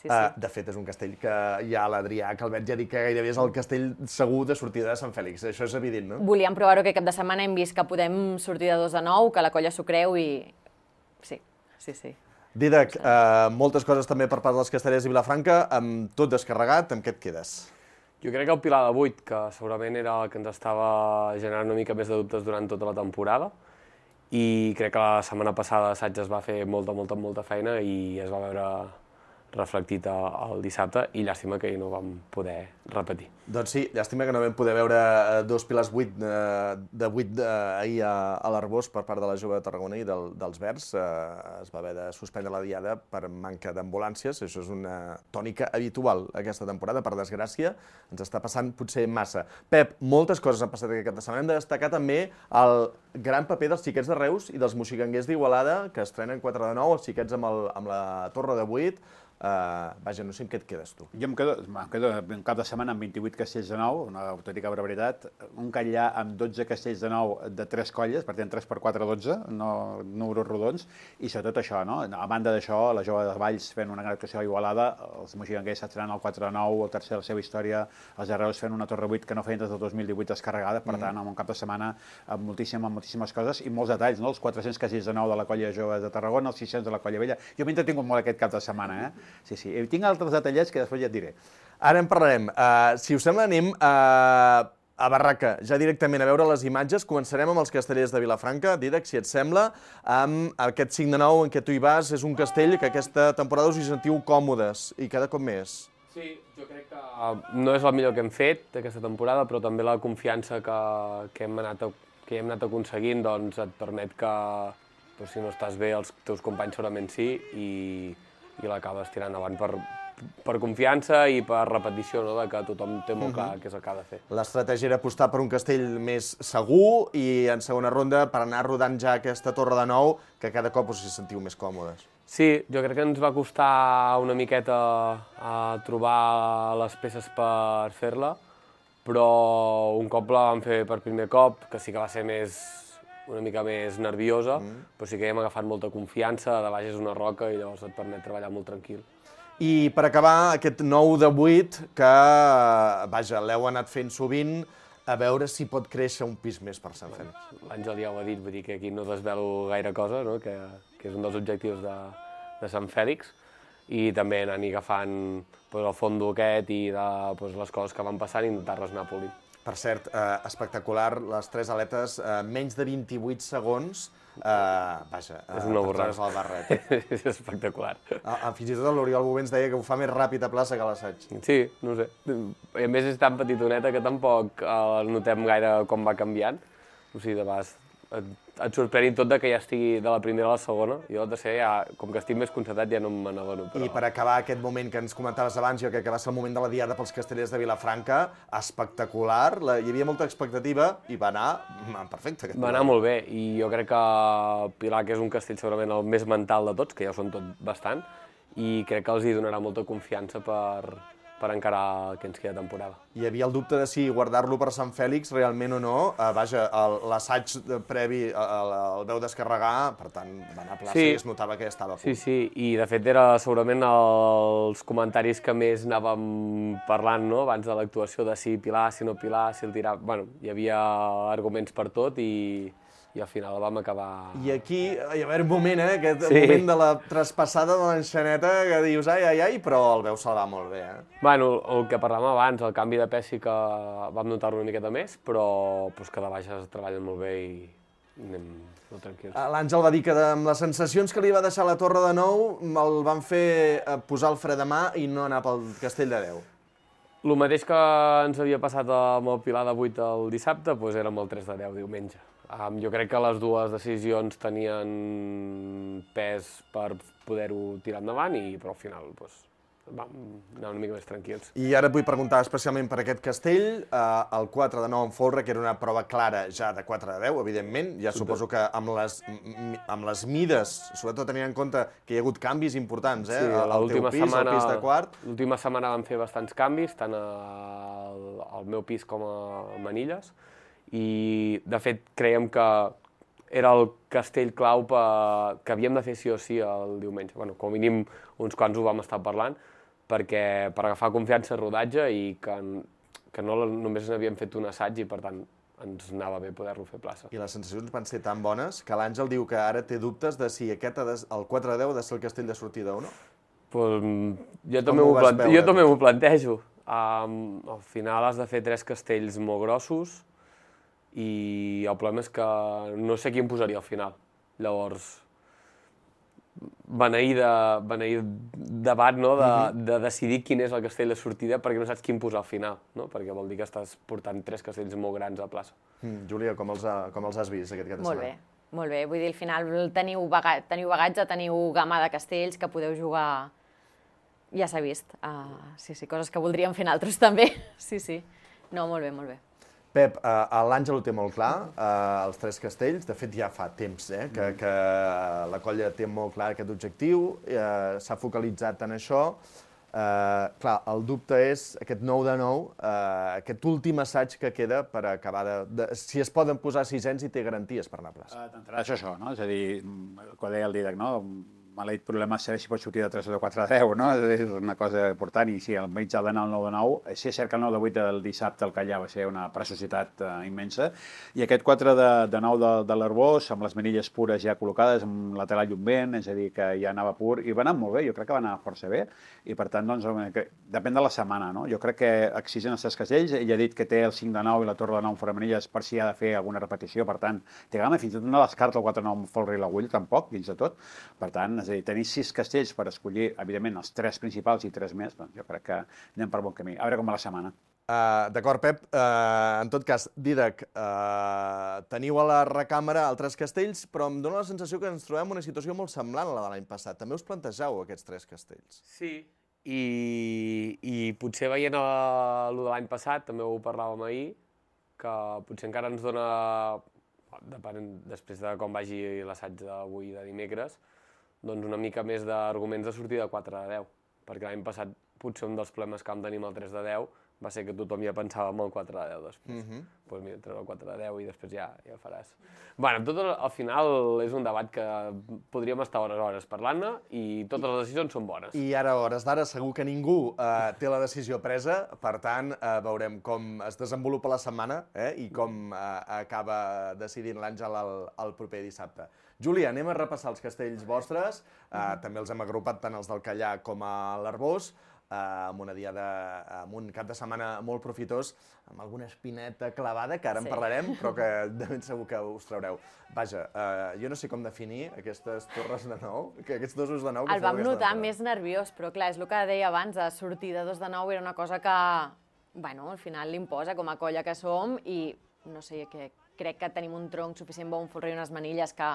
Sí, sí. Uh, de fet, és un castell que hi ha l'Adrià Calvet, ja dic que gairebé és el castell segur de sortida de Sant Fèlix. Això és evident, no? Volíem provar-ho aquest cap de setmana, hem vist que podem sortir de dos de nou, que la colla s'ho creu i... Sí, sí, sí. Dídac, uh, moltes coses també per part dels castellers de Vilafranca, amb tot descarregat, amb què et quedes? Jo crec que el Pilar de vuit, que segurament era el que ens estava generant una mica més de dubtes durant tota la temporada, i crec que la setmana passada l'assaig es va fer molta, molta, molta feina i es va veure reflectit el dissabte, i llàstima que no vam poder repetir. Doncs sí, llàstima que no vam poder veure dos pilars vuit de vuit ahir a l'Arbós per part de la Jove de Tarragona i dels Verds. Es va haver de suspendre la diada per manca d'ambulàncies. Això és una tònica habitual aquesta temporada, per desgràcia. Ens està passant potser massa. Pep, moltes coses han passat aquest cap de setmana. Hem de destacar també el gran paper dels xiquets de Reus i dels moxiganguers d'Igualada, que estrenen quatre de nou, els xiquets amb la Torre de vuit. Vaja, no sé amb què et quedes tu. Jo em quedo, em quedo un cap de setmana amb vint-i-vuit castells de nou, una autèntica barbaritat, un Catllà amb dotze castells de nou de tres colles, per tant tres per quatre, dotze, no números rodons, i sobretot això, no? A banda d'això, la Jove de Valls fent una gran actuació a Igualada, els moixigranguers estrenant el quatre de nou, el tercer de la seva història, els Arreus fent una Torre vuit que no feien des del dos mil divuit descarregada, per tant, amb un cap de setmana amb moltíssimes, moltíssimes coses i molts detalls, no? Els quatre-cents castells de nou de la colla Jove de Tarragona, els sis-cents de la colla Vella. Jo m'he entretingut molt aquest cap de setmana, eh? Sí, sí. I tinc altres detallets que després ja et diré. Ara en parlarem. Uh, si us sembla, anem a, a Barraca, ja directament a veure les imatges. Començarem amb els castellers de Vilafranca. Dídac, si et sembla, amb aquest cinc de nou en què tu hi vas, és un castell que aquesta temporada us hi sentiu còmodes i cada cop més. Sí, jo crec que no és el millor que hem fet aquesta temporada, però també la confiança que, que, hem, anat a, que hem anat aconseguint doncs, et permet que, doncs, si no estàs bé, els teus companys segurament sí, i, i l'acabes tirant avant per, per confiança i per repetició, no? De que tothom té molt clar què és el que ha de fer. L'estratègia era apostar per un castell més segur i en segona ronda per anar rodant ja aquesta torre de nou, que cada cop us hi sentiu més còmodes. Sí, jo crec que ens va costar una miqueta a trobar les peces per fer-la, però un cop la vam fer per primer cop, que sí que va ser més, una mica més nerviosa, mm. però sí que hem agafat molta confiança, de baix és una roca i llavors et permet treballar molt tranquil. I per acabar, aquest nou de vuit, que, vaja, l'heu anat fent sovint, a veure si pot créixer un pis més per Sant Fèlix. L'Àngel ja ho ha dit, vull dir que aquí no desvelo gaire cosa, no? que, que és un dels objectius de, de Sant Fèlix, i també anar-hi agafant pues, el fondo aquest i de, pues, les coses que van passant i intentar-les anar polint. Per cert, eh, espectacular, les tres aletes, eh, menys de vint-i-vuit segons, eh, vaja, és una borrada. El barret. És espectacular. Ah, fins i tot l'Oriol Bové ens deia que ho fa més ràpid a plaça que a l'assaig. Sí, no ho sé. I a més és tan petitoneta que tampoc eh, notem gaire com va canviant. O sigui, de vegades et, et sorprèn tot de que ja estigui de la primera a la segona. Jo, de ser, ja, com que estic més concentrat, ja no me n'adono. Però... I per acabar aquest moment que ens comentaves abans, jo crec que va ser el moment de la diada pels castellers de Vilafranca, espectacular, la, hi havia molta expectativa i va anar perfecte. Va anar molt bé, i jo crec que Pilar, que és un castell segurament el més mental de tots, que ja ho són tot bastant, i crec que els hi donarà molta confiança per... per encarar el que ens queda temporada. Hi havia el dubte de si guardar-lo per Sant Fèlix realment o no. Uh, vaja, l'assaig previ el, el veu descarregar, per tant, va anar a plaça sí. I es notava que ja estava a punt. Sí, sí, i de fet era segurament els comentaris que més anàvem parlant, no?, abans de l'actuació, de si Pilar, si no Pilar, si el tirava... Bueno, hi havia arguments per tot i... i al final vam acabar... I aquí hi va haver un moment, eh, aquest sí. moment de la traspassada de l'enxaneta que dius ai, ai, ai, però el veu salvar molt bé, eh? Bueno, el que parlàvem abans, el canvi de pes sí que vam notar-lo una miqueta més, però pues, que de baix es treballen molt bé i anem molt tranquils. L'Àngel va dir que amb les sensacions que li va deixar la Torre de Nou el van fer posar el fre de mà i no anar pel Castell de Déu. El mateix que ens havia passat amb el Pilar de vuit el dissabte, doncs era amb el tres de deu diumenge. Um, jo crec que les dues decisions tenien pes per poder-ho tirar endavant, i, però al final doncs, vam anar una mica més tranquils. I ara et vull preguntar especialment per aquest castell, eh, el quatre de nou en folre, que era una prova clara ja de quatre de deu, evidentment. Ja suposo que amb les, amb les mides, sobretot tenint en compte que hi ha hagut canvis importants, eh? Sí, el teu pis, setmana, el pis de quart. L'última setmana vam fer bastants canvis, tant al, al meu pis com a Manilles, i de fet creiem que era el castell clau per... que havíem de fer sí o sí el diumenge. Bueno, com a mínim uns quants ho vam estar parlant, perquè per agafar confiança al rodatge i que, que no només n'havíem fet un assaig i per tant ens anava bé poder-lo fer plaça. I les sensacions van ser tan bones que l'Àngel diu que ara té dubtes de si aquest ha de, el quatre de deu ha de ser el castell de sortida o no? Pues, jo també m'ho plante... jo també m'ho plantejo. Um, al final has de fer tres castells molt grossos, i el problema és que no sé quin posaria al final. Llavors, beneir de, beneir debat, no? de, de decidir quin és el castell de sortida perquè no saps quin posar al final, no? Perquè vol dir que estàs portant tres castells molt grans a plaça. Mm, Júlia, com els, ha, com els has vist aquest cap de setmana? Molt bé, molt bé. Vull dir, al final teniu, baga teniu bagatge, teniu gamma de castells que podeu jugar... Ja s'ha vist. Uh, sí, sí, coses que voldríem fer altres també. Sí, sí. No, molt bé, molt bé. Pep, l'Àngel ho té molt clar, els tres castells, de fet ja fa temps que la colla té molt clar aquest objectiu, s'ha focalitzat en això. Clar, el dubte és aquest nou de nou, aquest últim assaig que queda per acabar de... Si es poden posar sisens i té garanties per anar a plaça. D'entrada és això, no? És a dir, quan deia el Dídac, no? Maleït problema és saber si pot sortir de tres o de quatre a deu, no? És una cosa important, i sí, el mig ha d'anar al nou de nou. Sí, és cert que el nou de vuit del dissabte al Callar va ser una preciositat immensa, i aquest quatre de nou de l'Arbós, amb les manilles pures ja col·locades, amb la tela llumbent, és a dir, que ja anava pur, i va anar molt bé, jo crec que va anar força bé, i per tant, doncs, depèn de la setmana, no? Jo crec que exigent els tres castells, ell ha dit que té el cinc de nou i la torre de nou fora manilles per si ha de fer alguna repetició, per tant, té gana, fins i tot no descarta el quatre de nou amb folre i l'agull, tampoc, dins de tot, per tant, és a dir, tenir sis castells per escollir, evidentment, els tres principals i tres més, doncs jo crec que anem per bon camí. A veure com va la setmana. D'acord, Pep. En tot cas, Dídac, teniu a la recàmera altres castells, però em dóna la sensació que ens trobem en una situació molt semblant a la de l'any passat. També us plantegeu aquests tres castells. Sí, i potser veient el de l'any passat, també ho parlàvem ahir, que potser encara ens dona, després de com vagi l'assaig d'avui de dimecres, doncs una mica més d'arguments de sortir de quatre a deu, perquè l'any passat potser un dels problemes que vam tenir amb el tres de deu va ser que tothom ja pensava en el quatre de deu després. Doncs mira, treure el quatre de deu i després ja ho faràs. Bé, tot al final és un debat que podríem estar hores hores parlant-ne i totes les decisions són bones. I ara, a hores d'ara, segur que ningú té la decisió presa, per tant, veurem com es desenvolupa la setmana i com acaba decidint l'Àngel el proper dissabte. Júlia, anem a repassar els castells vostres, també els hem agrupat tant els del Callar com a l'Arbós, amb una diada, amb un cap de setmana molt profitós, amb alguna espineta clavada, que ara en parlarem, però que de ben segur que us traureu. Vaja, jo no sé com definir aquestes torres de nou, aquests dosos de nou que feu aquesta temporada. El vam notar més nerviós, però clar, és el que deia abans, sortir de dos de nou era una cosa que, bueno, al final l'imposa com a colla que som i, no sé, crec que tenim un tronc suficient bo, un folre i unes manilles que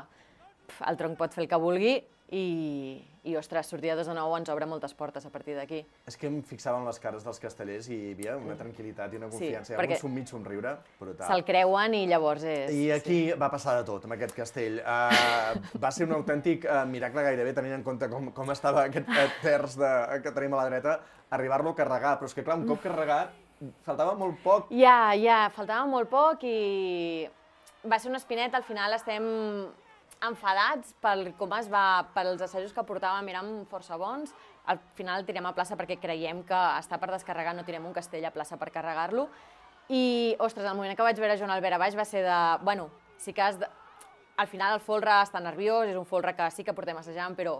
el tronc pot fer el que vulgui i, ostres, sortir de dos de nou ens obre moltes portes a partir d'aquí. És que em fixava en les cares dels castellers i hi havia una tranquil·litat i una confiança, hi ha un sommig somriure brutal. Se'l creuen i llavors és... I aquí va passar de tot, amb aquest castell. Va ser un autèntic miracle gairebé, tenint en compte com estava aquest terç que tenim a la dreta, arribar-lo a carregar, però és que clar, un cop carregat, faltava molt poc. Ja, ja, faltava molt poc i va ser una espineta, al final estem enfadats pel com es va, pels assajos que portàvem, eren força bons. Al final el tirem a plaça perquè creiem que està per descarregar, no tirem un castell a plaça per carregar-lo. I, ostres, el moment que vaig veure Joan Albert a baix va ser de... Bueno, sí que has de... Al final el folre està nerviós, és un folre que sí que portem assajant, però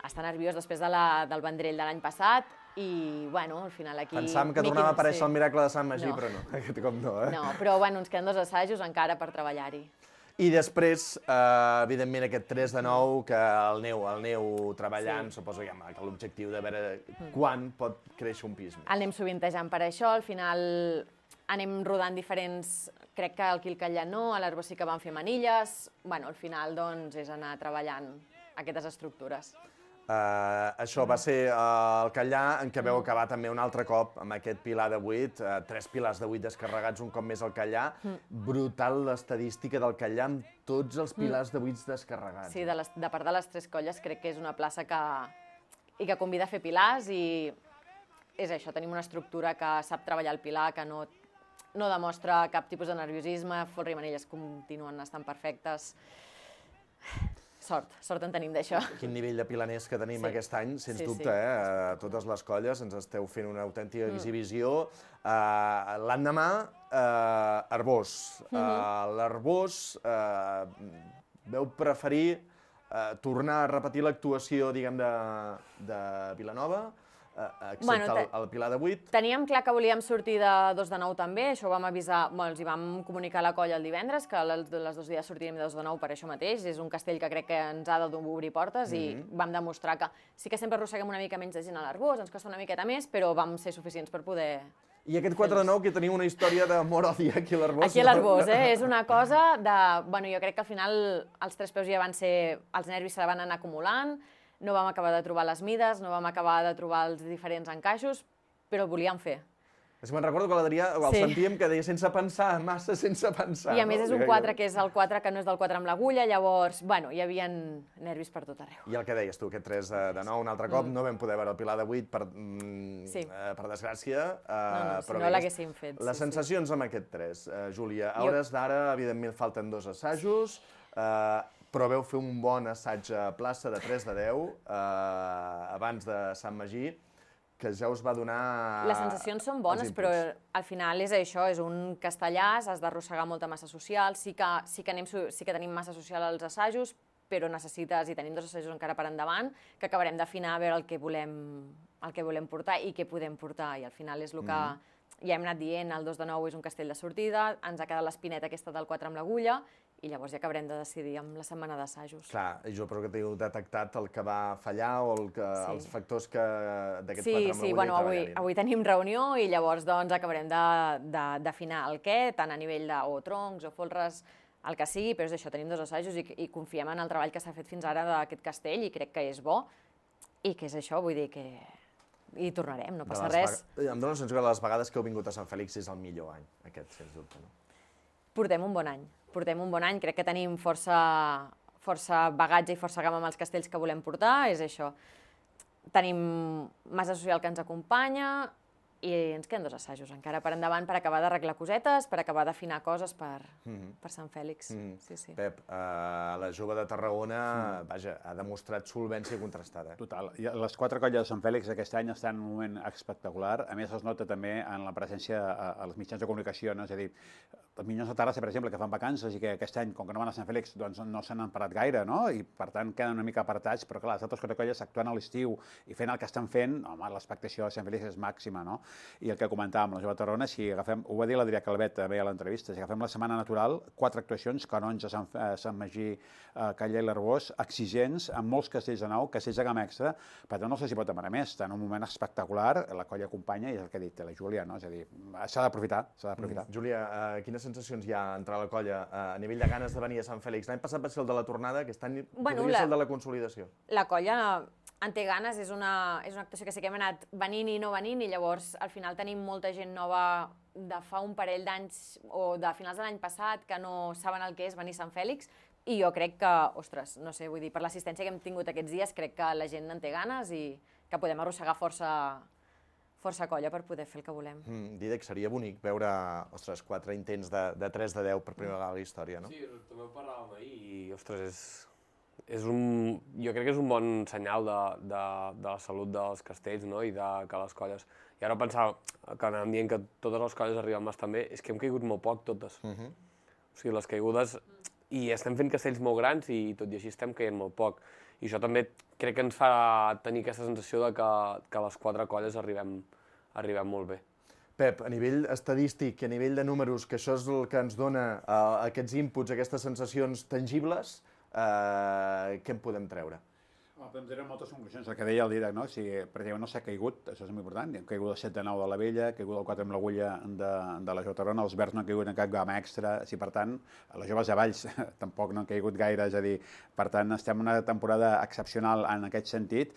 està nerviós després del Vendrell de l'any passat i, bueno, al final aquí... Pensàvem que tornava a aparèixer el miracle de Sant Magí, però no, aquest cop no, eh? No, però, bueno, ens queden dos assajos encara per treballar-hi. I després, evidentment, aquest tres de nou, que el neu, el neu treballant, suposo que l'objectiu de veure quan pot créixer un pis. El anem sovintejant per això, al final anem rodant diferents... Crec que aquí al Callar no, a l'Arbós sí que van fer manilles... Bueno, al final, doncs, és anar treballant aquestes estructures. Això va ser el Callar, en què veu acabar també un altre cop amb aquest pilar de vuit, tres pilars de vuit descarregats un cop més al Callar. Brutal l'estadística del Callar amb tots els pilars de vuit descarregats. Sí, de part de les tres colles crec que és una plaça que i que convida a fer pilars i és això, tenim una estructura que sap treballar el pilar, que no no demostra cap tipus de nerviosisme, folre i manilles continuen estant perfectes. Sort, sort en tenim d'això. Quin nivell de pilaners que tenim aquest any, sens dubte, eh? Totes les colles ens esteu fent una autèntica exhibició. L'endemà, Arbós. L'Arbós veu preferir tornar a repetir l'actuació, diguem, de Vilanova, excepte el pilar de vuit. Teníem clar que volíem sortir de dos de nou també, això ho vam avisar, els hi vam comunicar a la colla el divendres, que els dos dies sortiríem de dos de nou per això mateix, és un castell que crec que ens ha d'obrir portes i vam demostrar que sí que sempre arrosseguem una mica menys de gent a l'Arbós, ens costa una miqueta més, però vam ser suficients per poder... I aquest quatre de nou que teniu una història d'amor-odi aquí a l'Arbós. Aquí a l'Arbós, eh? És una cosa de... Bueno, jo crec que al final els tres peus ja van ser... Els nervis se van anar acumulant, no vam acabar de trobar les mides, no vam acabar de trobar els diferents encaixos, però ho volíem fer. És que me'n recordo que l'Adrià el Sí. sentíem que deia sense pensar, massa sense pensar. I a més no? és un quatre que és el quatre que no és del quatre amb l'agulla, llavors, bueno, hi havia nervis per tot arreu. I el que deies tu, aquest tres de nou, un altre cop, Mm. no vam poder veure el Pilar de vuit, per, mm, Sí. eh, per desgràcia. Eh, No, no, si però no bé, l'haguéssim fet, Les sí, sí. sensacions amb aquest tres, eh, Júlia. A Jo- hores d'ara, evidentment, falten dos assajos, eh, però veu fer un bon assaig a plaça de tres de deu, eh, abans de Sant Magí, que ja us va donar... Les sensacions són bones, els però inputs. al final és això, és un castellàs, has d'arrossegar molta massa social, sí que, sí, que anem, su- sí que tenim massa social als assajos, però necessites, i tenim dos assajos encara per endavant, que acabarem d'afinar a veure el que volem, el que volem portar i què podem portar, i al final és el que Mhm. ja hem anat dient, el dos de nou és un castell de sortida, ens ha quedat l'espineta aquesta del quatre amb l'agulla, i llavors ja acabarem de decidir amb la setmana d'assajos. Clar, i jo però que t'heu detectat el que va fallar o el que, Sí. els factors que d'aquest Sí, quatre amb sí, l'agulla bueno, i avui, treballar-hi. avui tenim reunió i llavors doncs, acabarem de- de- d'afinar el què, tant a nivell de o troncs o folres, el que sigui, però és això, tenim dos assajos i, i confiem en el treball que s'ha fet fins ara d'aquest castell i crec que és bo i que és això, vull dir que hi tornarem, no De passa les res. vega- Em dóna la sensació que les vegades que heu vingut a Sant Fèlix és el millor any, aquest, sens dubte. No? Portem un bon any, portem un bon any, crec que tenim força, força bagatge i força gamma amb els castells que volem portar, és això. Tenim massa social que ens acompanya i ens queden dos assajos encara per endavant per acabar d'arreglar cosetes, per acabar d'afinar coses per, Mhm. per Sant Fèlix. Mhm. Sí, sí. Pep, eh, la jove de Tarragona, vaja, ha demostrat solvència contrastada. Total. I les quatre colles de Sant Fèlix aquest any estan en un moment espectacular. A més, es nota també en la presència a- als mitjans de comunicació, no? És a dir, els Minyons de Terrassa, per exemple, que fan vacances i que aquest any, com que no van a Sant Fèlix, doncs no se n'han parat gaire, no? I, per tant, queden una mica apartats, però, clar, les altres quatre colles actuant a l'estiu i fent el que estan fent, home, l'expectació de Sant Fèlix és màxima, no? I el que comentàvem, la jove de Tarragona, si agafem, ho va dir l'Adrià Calvet també a l'entrevista, si agafem la setmana natural, quatre actuacions, Canonja, Sant, eh, Sant Magí, eh, Callar i l'Arbós, exigents, amb molts castells de nou, castells de gamma extra, per tant no se s'hi pot demanar més, està en un moment espectacular, la colla acompanya, i és el que ha dit la Júlia, no? És a dir, s'ha d'aprofitar, s'ha d'aprofitar. Mm. Júlia, eh, quines sensacions hi ha entre la colla eh, a nivell de ganes de venir a Sant Fèlix? L'any passat va ser el de la tornada, aquest any Bueno, podria la- ser el de la consolidació. La colla en té ganes, és una, és una actuació que sí que hem anat venint i no venint i llavors al final tenim molta gent nova de fa un parell d'anys o de finals de l'any passat que no saben el que és venir a Sant Fèlix i jo crec que, ostres, no sé, vull dir, per l'assistència que hem tingut aquests dies crec que la gent en té ganes i que podem arrossegar força, força colla per poder fer el que volem. Mm, Dídac, seria bonic veure, ostres, quatre intents de, de tres de deu per primera vegada a la història, no? Sí, també ho parlàvem ahir i, ostres, és, és un, jo crec que és un bon senyal de, de, de la salut dels castells, no?, i de que les colles... I ara pensava que anàvem dient que totes les colles arriben bastant bé, és que hem caigut molt poc totes. Uh -huh. O sigui, les caigudes... I estem fent castells molt grans i tot i així estem caient molt poc. I això també crec que ens fa tenir aquesta sensació de que, que les quatre colles arribem, arribem molt bé. Pep, a nivell estadístic i a nivell de números, que això és el que ens dona uh, aquests inputs, aquestes sensacions tangibles, uh, què en podem treure? Home, podem treure moltes conclusions. El que deia el Dídac, no? Si, per exemple, no s'ha caigut, això és molt important, hem caigut el set de nou de la Vella, ha caigut el quatre amb l'agulla de, de la Jove Tarragona, els verds no han caigut en cap gamma extra, si per tant, les joves de Valls tampoc no han caigut gaire, és a dir, per tant, estem en una temporada excepcional en aquest sentit.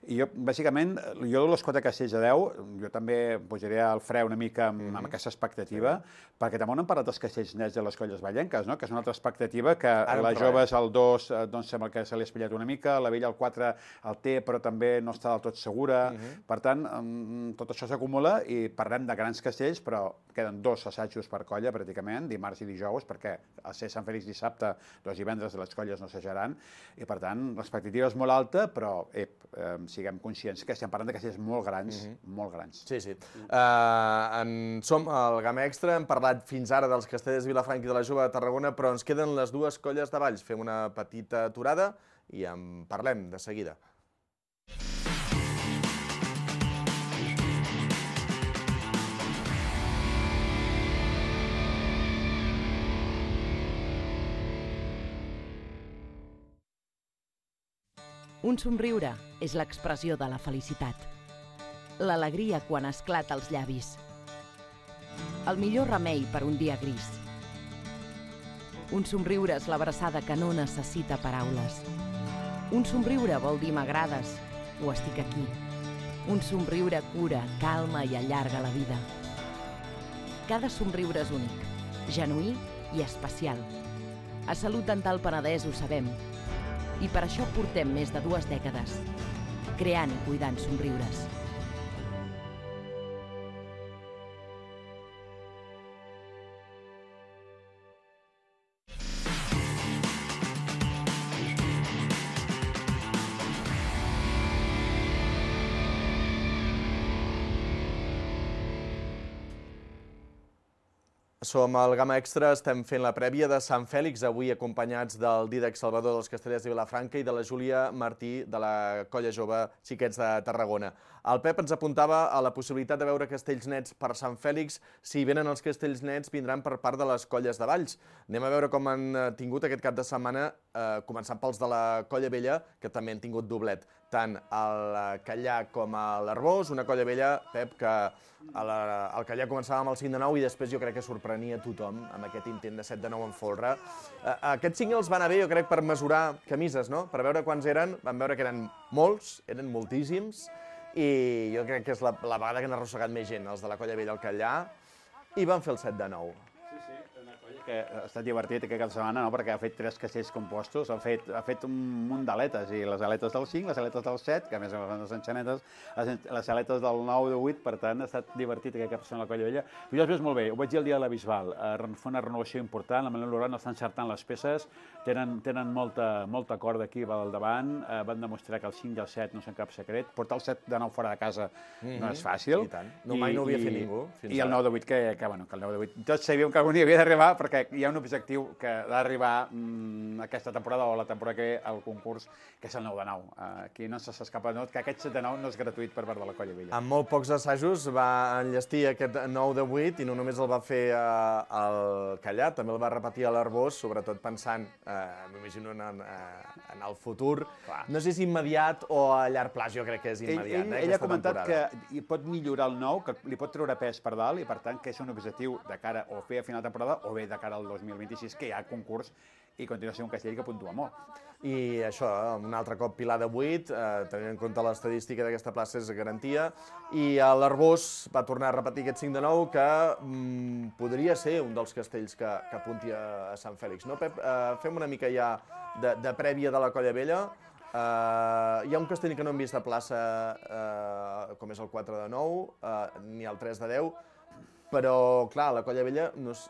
I jo, bàsicament, jo de les quatre castells de deu, jo també posaré el fre una mica amb, amb aquesta expectativa, perquè també no hem parlat dels castells nets de les colles vallenques, no? Que és una altra expectativa, que Ara les joves al dos doncs, sembla que se li ha espatllat una mica, la Vella al quatre el té, però també no està del tot segura. Mhm. Per tant, tot això s'acumula i parlem de grans castells, però queden dos assajos per colla, pràcticament, dimarts i dijous, perquè al ser Sant Fèlix dissabte, dos divendres les colles no assajaran, i per tant, l'expectativa és molt alta, però ep, eh, siguem conscients que estem parlant de castells molt grans, Mhm. molt grans. Sí, sí. Uh, en som al Gamma Extra, hem parlat fins ara dels castells de Vilafranca i de la Jove de Tarragona, però ens queden les dues colles de Valls. Fem una petita aturada i en parlem de seguida. Un somriure és l'expressió de la felicitat. L'alegria quan esclata als llavis. El millor remei per un dia gris. Un somriure és l'abraçada que no necessita paraules. Un somriure vol dir m'agrades o estic aquí. Un somriure cura, calma i allarga la vida. Cada somriure és únic, genuí i especial. A Salut Dental Penedès ho sabem. I per això portem més de dues dècades, creant i cuidant somriures. Som al Gamma Extra, estem fent la prèvia de Sant Fèlix, avui acompanyats del Dídac Salvador dels Castellers de Vilafranca i de la Júlia Martí de la Colla Jove Xiquets de Tarragona. El Pep ens apuntava a la possibilitat de veure castells nets per Sant Fèlix. Si venen els castells nets, vindran per part de les colles de Valls. Anem a veure com han tingut aquest cap de setmana, eh, començant pels de la Colla Vella, que també han tingut doblet. Tant el Callà com l'Arbós, una Colla Vella, Pep, que el Callà començava amb el cinc de nou i després jo crec que sorprenia tothom amb aquest intent de set de nou en folre. Aquests cinc els van anar bé, jo crec, per mesurar camises, no? Per veure quants eren. Vam veure que eren molts, eren moltíssims, i jo crec que és la vegada que han arrossegat més gent, els de la Colla Vella al Callà, i van fer el set de nou. Que ha estat divertit aquest cap de setmana, no? Perquè ha fet tres castells compostos, ha fet, ha fet un munt d'aletes, i les aletes del cinc, les aletes del set, que a més a més les enxanetes, les aletes del nou, del vuit, per tant, ha estat divertit aquest cap de setmana a la Colla Vella. Però jo després molt bé, ho vaig dir el dia de la Bisbal, fa una renovació important, la Manel Loran està encertant les peces, tenen, tenen molta, molta corda aquí al davant, eh, van demostrar que el cinc i el set no són cap secret, portar el set de nou fora de casa mm-hmm. no és fàcil. I tant, no, mai no ho havia fet ningú. I el nou de vuit, que, que, bueno, que el nou de vuit, tots sabíem que algun dia havia d'arribar, perquè hi ha un objectiu que ha d'arribar mmm, aquesta temporada o la temporada que ve al concurs, que és el nou de nou. Uh, aquí no s'escapa de tot, que aquest set de nou no és gratuït per part de la Colla Vella. Amb molt pocs assajos va enllestir aquest nou de vuit i no només el va fer uh, al Callà, també el va repetir a l'Arbós, sobretot pensant, uh, m'imagino, en, uh, en el futur. Clar. No sé si immediat o a llarg plaç, jo crec que és immediat. Ell, eh, ell ha comentat temporada. Que pot millorar el nou, que li pot treure pes per dalt i per tant que és un objectiu de cara o fer a final de temporada o bé de cara al dos mil vint-i-sis, que hi ha concurs i continua sent un castell que puntua molt. I això, un altre cop pilar de vuit, eh, tenint en compte l'estadística d'aquesta plaça és garantia, i l'Arbós va tornar a repetir aquest cinc de nou que mm, podria ser un dels castells que, que apunti a, a Sant Fèlix. No, Pep? Eh, fem una mica ja de, de prèvia de la Colla Vella. Eh, hi ha un castell que no hem vist a plaça, eh, com és el quatre de nou, eh, ni el tres de deu, però, clar, la Colla Vella, no és,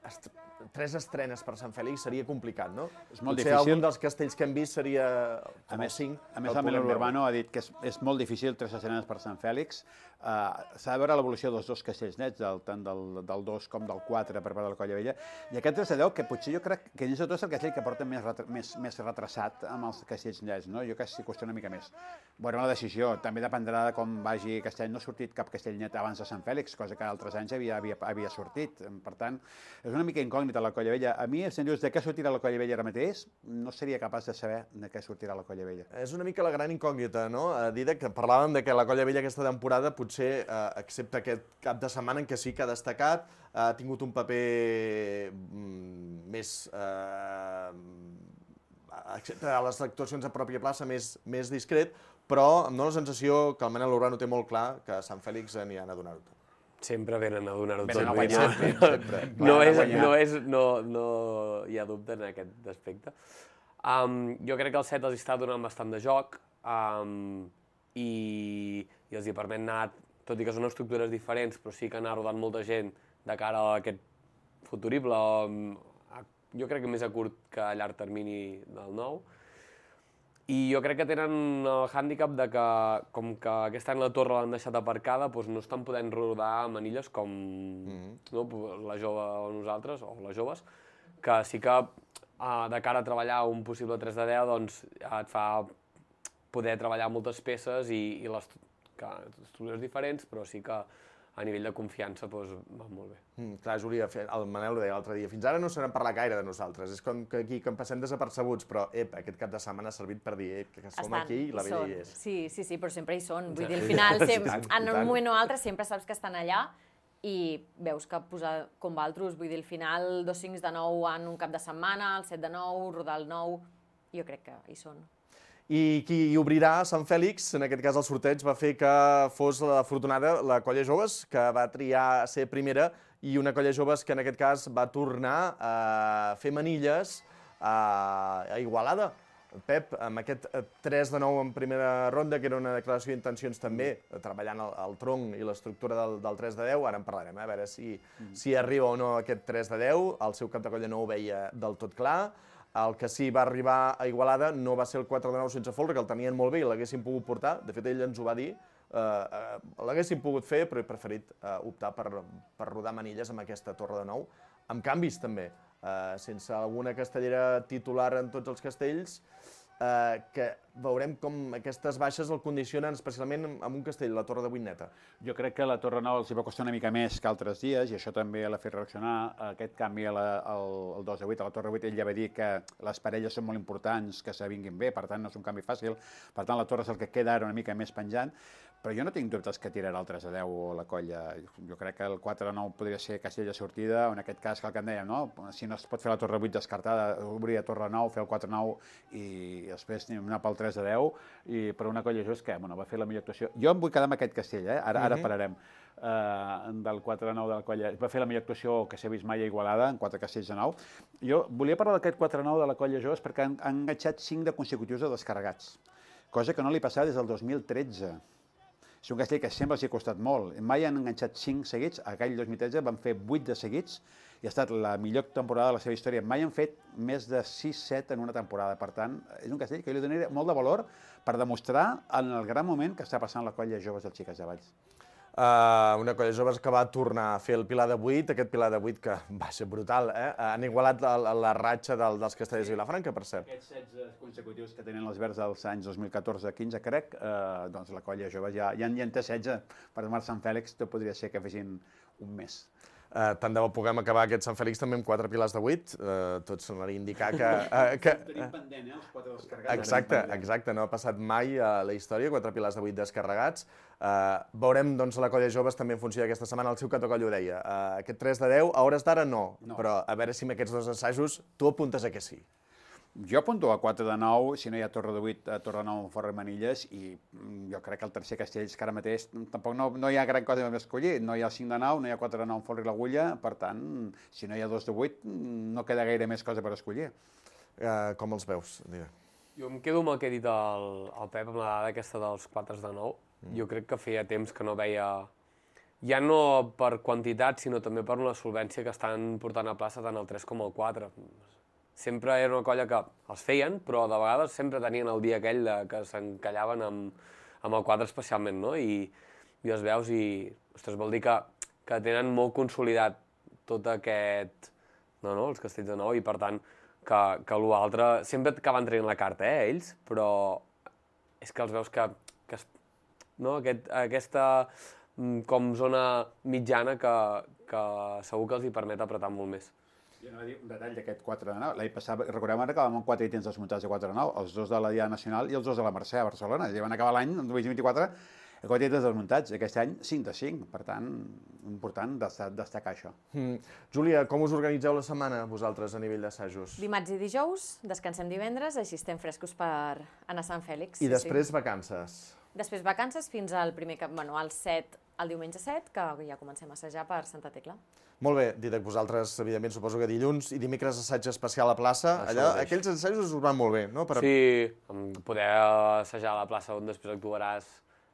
est, tres estrenes per Sant Fèlix seria complicat, no? És molt Potser difícil. Algun dels castells que hem vist seria a més, cinc. A més, el Manel Urbano ha dit que és, és molt difícil tres estrenes per Sant Fèlix. Uh, S'ha de veure l'evolució dels dos castells nets, del, tant del, del dos com del quatre per part de la Colla Vella. I aquest tres de deu, que potser jo crec que és el castell que porta més, retra, més, més retrasat amb els castells nets, no? Jo crec que s'hi costa una mica més. Bueno, la decisió també dependrà de com vagi castell. No ha sortit cap castell net abans de Sant Fèlix, cosa que altres anys havia, havia, havia sortit. Per tant, és una mica incògnita la Colla Vella. A mi, si em dius de què sortirà la Colla Vella ara mateix, no seria capaç de saber de què sortirà la Colla Vella. És una mica la gran incògnita, no? Dídac, que parlàvem de que la Colla Vella aquesta temporada potser, eh, excepte aquest cap de setmana en què sí que ha destacat, ha tingut un paper mm, més, eh, excepte a les actuacions a pròpia plaça, més, més discret, però em dóna la sensació que el Manel Urbano té molt clar que a Sant Fèlix n'hi han a donar-ho tot. Sempre venen a donar-ho tot. Venen a guanyar. Sempre. Sempre. No, és, no, és, no, no hi ha dubte en aquest aspecte. Um, jo crec que el set els està donant bastant de joc um, i, i els hi permet anar, tot i que són estructures diferents, però sí que anar rodant molta gent de cara a aquest futurible, um, a, jo crec que més a curt que a llarg termini del nou. I jo crec que tenen el hàndicap de que, com que aquest any la torre l'han deixat aparcada, doncs no estan podent rodar manilles com mm-hmm. no, la jove o nosaltres, o les joves, que sí que uh, de cara a treballar un possible tres de deu doncs, et fa poder treballar moltes peces i, i les que, estructures diferents, però sí que a nivell de confiança doncs, va molt bé. Mm, clar, Júlia, el Manel ho deia l'altre dia, fins ara no se n'han parlat gaire de nosaltres, és com que aquí que em passem desapercebuts, però ep, aquest cap de setmana ha servit per dir ep, que som estan, aquí i la Vella hi és. Sí, sí, sí, però sempre hi són, vull dir, al final, sempre, en un moment o altre sempre saps que estan allà i veus que posar com valtros, vull dir, al final dos cincs de nou en un cap de setmana, el set de nou, rodar el nou, jo crec que hi són. I qui obrirà Sant Fèlix, en aquest cas el sorteig, va fer que fos l'afortunada la Colla Joves, que va triar ser primera, i una Colla Joves que en aquest cas va tornar a fer manilles a Igualada. Pep, amb aquest tres de nou en primera ronda, que era una declaració d'intencions també, treballant el tronc i l'estructura del tres de deu, ara en parlarem, a veure si arriba o no aquest tres de deu, el seu cap de colla no ho veia del tot clar. El que sí va arribar a Igualada no va ser el quatre de nou sense folre, que el tenien molt bé i l'haguessin pogut portar. De fet, ell ens ho va dir. L'haguessin pogut fer, però he preferit optar per rodar manilles amb aquesta torre de nou. Amb canvis, també. Sense alguna castellera titular en tots els castells, que veurem com aquestes baixes el condicionen especialment amb un castell, la Torre de vuit neta. Jo crec que la Torre nou els hi va costar una mica més que altres dies i això també l'ha fet reaccionar. Aquest canvi al dos de vuit, a la Torre vuit, ell ja va dir que les parelles són molt importants, que s'avinguin bé, per tant no és un canvi fàcil, per tant la Torre és el que queda ara una mica més penjant, però jo no tinc dubtes que tirarà el tres de deu o la colla. Jo crec que el quatre de nou podria ser castell de sortida, o en aquest cas que el que en dèiem, no? Si no es pot fer la Torre vuit descartada, obrir a Torre nou, fer el quatre de nou i després anar pel tres de deu, i per una colla just que bueno, va fer la millor actuació. Jo em vull quedar amb aquest castell, eh? ara, ara pararem, uh, del quatre de nou de la colla. Va fer la millor actuació que s'ha vist mai a Igualada, en quatre castells de nou. Jo volia parlar d'aquest quatre de nou de la colla just perquè han, han enganxat cinc de consecutius de descarregats, cosa que no li passava des del dos mil tretze. És un castell que sempre els hi ha costat molt. Mai han enganxat cinc seguits, aquell dos mil tretze van fer vuit de seguits i ha estat la millor temporada de la seva història. Mai han fet més de sis set en una temporada. Per tant, és un castell que jo li donaria molt de valor per demostrar en el gran moment que està passant la colla joves dels Xiques de Valls. Uh, una colla joves que va tornar a fer el Pilar de vuit, aquest Pilar de vuit que va ser brutal, eh? Han igualat la, la ratxa del, dels castellers de Vilafranca, per cert. Aquests setze consecutius que tenen els verds dels anys dos mil catorze quinze, crec, eh, doncs la colla joves ja, ja, ja en té setze. Per demà Sant Fèlix tot podria ser que fessin un mes. Uh, tant de bo puguem acabar aquest Sant Fèlix també amb quatre pilars de vuit, uh, tot semblaria indicar que... Uh, que tenim pendent, eh, els quatre descarregats. Exacte, exacte, no ha passat mai a la història, quatre pilars de vuit descarregats. Uh, veurem doncs, la colla joves també en funció d'aquesta setmana, el seu cap de colla ho deia. Uh, aquest tres de deu, a hores d'ara no, no, però a veure si amb aquests dos assajos tu apuntes a que sí. Jo apunto a quatre de nou, si no hi ha Torre de vuit, a Torre de nou amb Forra i Manilles, i jo crec que el tercer Castells, que ara mateix tampoc no, no hi ha gran cosa a escollir. No hi ha cinc de nou, no hi ha quatre de nou amb Forra i l'Agulla, per tant, si no hi ha dos de vuit, no queda gaire més cosa per escollir. Uh, com els veus? Digue. Jo em quedo amb el que ha dit el, el Pep, amb la dada aquesta dels quatre de nou. Mm. Jo crec que feia temps que no veia, ja no per quantitat, sinó també per una solvència que estan portant a plaça tant el tres com el quatre. Sempre era una colla que els feien, però de vegades sempre tenien el dia aquell de, que s'encallaven amb, amb el quatre especialment, no? I, i els veus i, ostres, vol dir que, que tenen molt consolidat tot aquest, no, no, els castells de nou, i per tant, que, que l'altre, sempre acaben traient la carta, eh, ells, però és que els veus que, que no, aquest, aquesta com zona mitjana que, que segur que els hi permet apretar molt més. Jo anava a dir un detall d'aquest quatre de nou. L'any passat, recordem ara que vam amb quatre ítems desmuntats de quatre de nou, els dos de la Diada Nacional i els dos de la Mercè a Barcelona. I van acabar l'any, el dos mil vint-i-quatre, quatre ítems desmuntats. Aquest any, cinc de cinc. Per tant, important destacar això. Mm. Júlia, com us organitzeu la setmana, vosaltres, a nivell d'assajos? Dimarts i dijous, descansem divendres, així estem frescos per anar a Sant Fèlix. I després sí. Vacances? Després vacances fins al primer cap, bueno, al set, al diumenge set, que ja comencem a assajar per Santa Tecla. Molt bé, Didac, vosaltres, evidentment, suposo que dilluns i dimecres assaig especial a plaça. Allà, aquells assajos us van molt bé, no? Per... Sí, poder assajar a la plaça on després actuaràs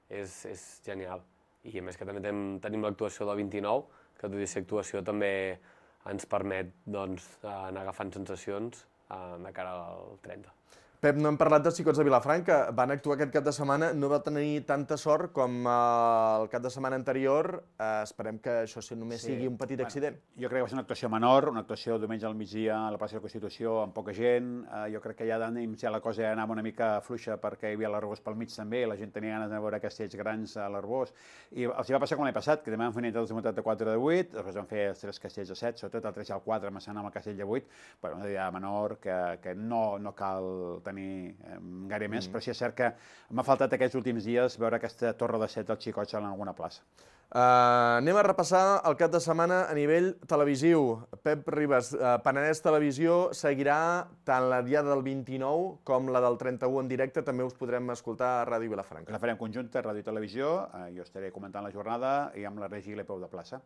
és, és genial. I a més que també tenim, tenim l'actuació del vint-i-nou, que tot i ser actuació també ens permet doncs, anar agafant sensacions de cara al trenta. Pep, no hem parlat dels Xicots de Vilafranca. Van actuar aquest cap de setmana, no va tenir tanta sort com el cap de setmana anterior. Eh, esperem que això només sí. sigui un petit bueno, accident. Jo crec que va ser una actuació menor, una actuació diumenge al migdia a la plaça de la Constitució amb poca gent. Eh, jo crec que ja d'ànims ja la cosa ja anava una mica fluixa perquè hi havia l'Arbós pel mig també, la gent tenia ganes de veure castells grans a l'Arbós. I els va passar com l'any passat, que també van fer una desmuntat de quatre de vuit, després van fer els tres castells de set, sobretot el tres i el quatre, amassant amb el castell de vuit. Bueno, una idea menor que, que no, no cal tenir eh, gaire més, mm. però sí és cert que m'ha faltat aquests últims dies veure aquesta torre de set dels Xicots en alguna plaça. Uh, anem a repassar el cap de setmana a nivell televisiu. Pep Ribas, uh, Penedès Televisió seguirà tant la diada del vint-i-nou com la del trenta-u en directe. També us podrem escoltar a Ràdio Vilafranca. La farem conjunta, Ràdio i Televisió. Uh, jo estaré comentant la jornada i amb la Regi i l'Epeu de plaça.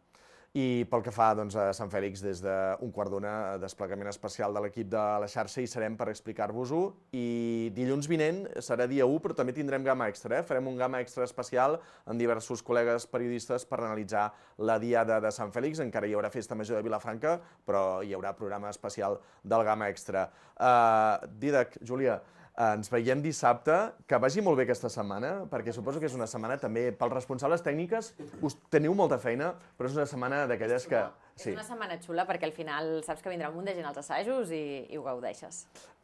I pel que fa doncs, a Sant Fèlix, des d'un quart d'una, desplegament especial de l'equip de la xarxa, hi serem per explicar-vos-ho. I dilluns vinent serà dia u, però també tindrem gamma extra. Eh? Farem un gamma extra especial amb diversos col·legues periodistes per analitzar la diada de Sant Fèlix. Encara hi haurà festa major de Vilafranca, però hi haurà programa especial del gamma extra. Uh, Dídac, Júlia, ens veiem dissabte, que vagi molt bé aquesta setmana, perquè suposo que és una setmana també, pels responsables tècniques, us teniu molta feina, però és una setmana d'aquelles que... És una setmana xula, perquè al final saps que vindrà un munt de gent als assajos i, i ho gaudeixes.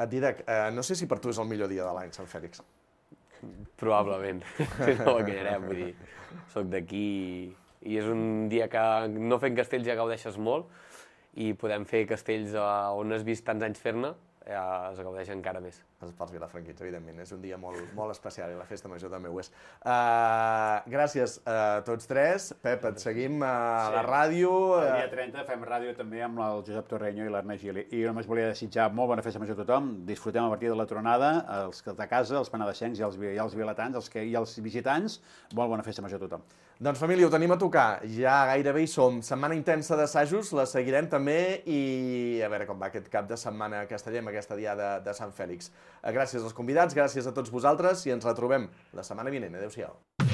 Dídac, eh, no sé si per tu és el millor dia de l'any, Sant Fèlix. Probablement, no m'enganyarem, vull dir, soc d'aquí i és un dia que no fent castells ja gaudeixes molt i podem fer castells on has vist tants anys fer-ne, ja es gaudeix encara més. Pels vilafranquins, evidentment. És un dia molt, molt especial i la festa major també ho és. Uh, gràcies a tots tres. Pep, et seguim a sí. la ràdio. El dia trenta fem ràdio també amb el Josep Torreño i l'Ernest Gili. I només volia desitjar molt bona festa major a tothom. Disfrutem a partir de la tronada, els de casa, els penedescencs i els, i els vilatans, els que, i els visitants. Molt bona festa major a tothom. Doncs família, ho tenim a tocar. Ja gairebé hi som. Setmana intensa d'assajos, la seguirem també i a veure com va aquest cap de setmana a Castellet, aquesta diada de Sant Fèlix. Gràcies als convidats, gràcies a tots vosaltres i ens retrobem la setmana vinent. Adéu-siau.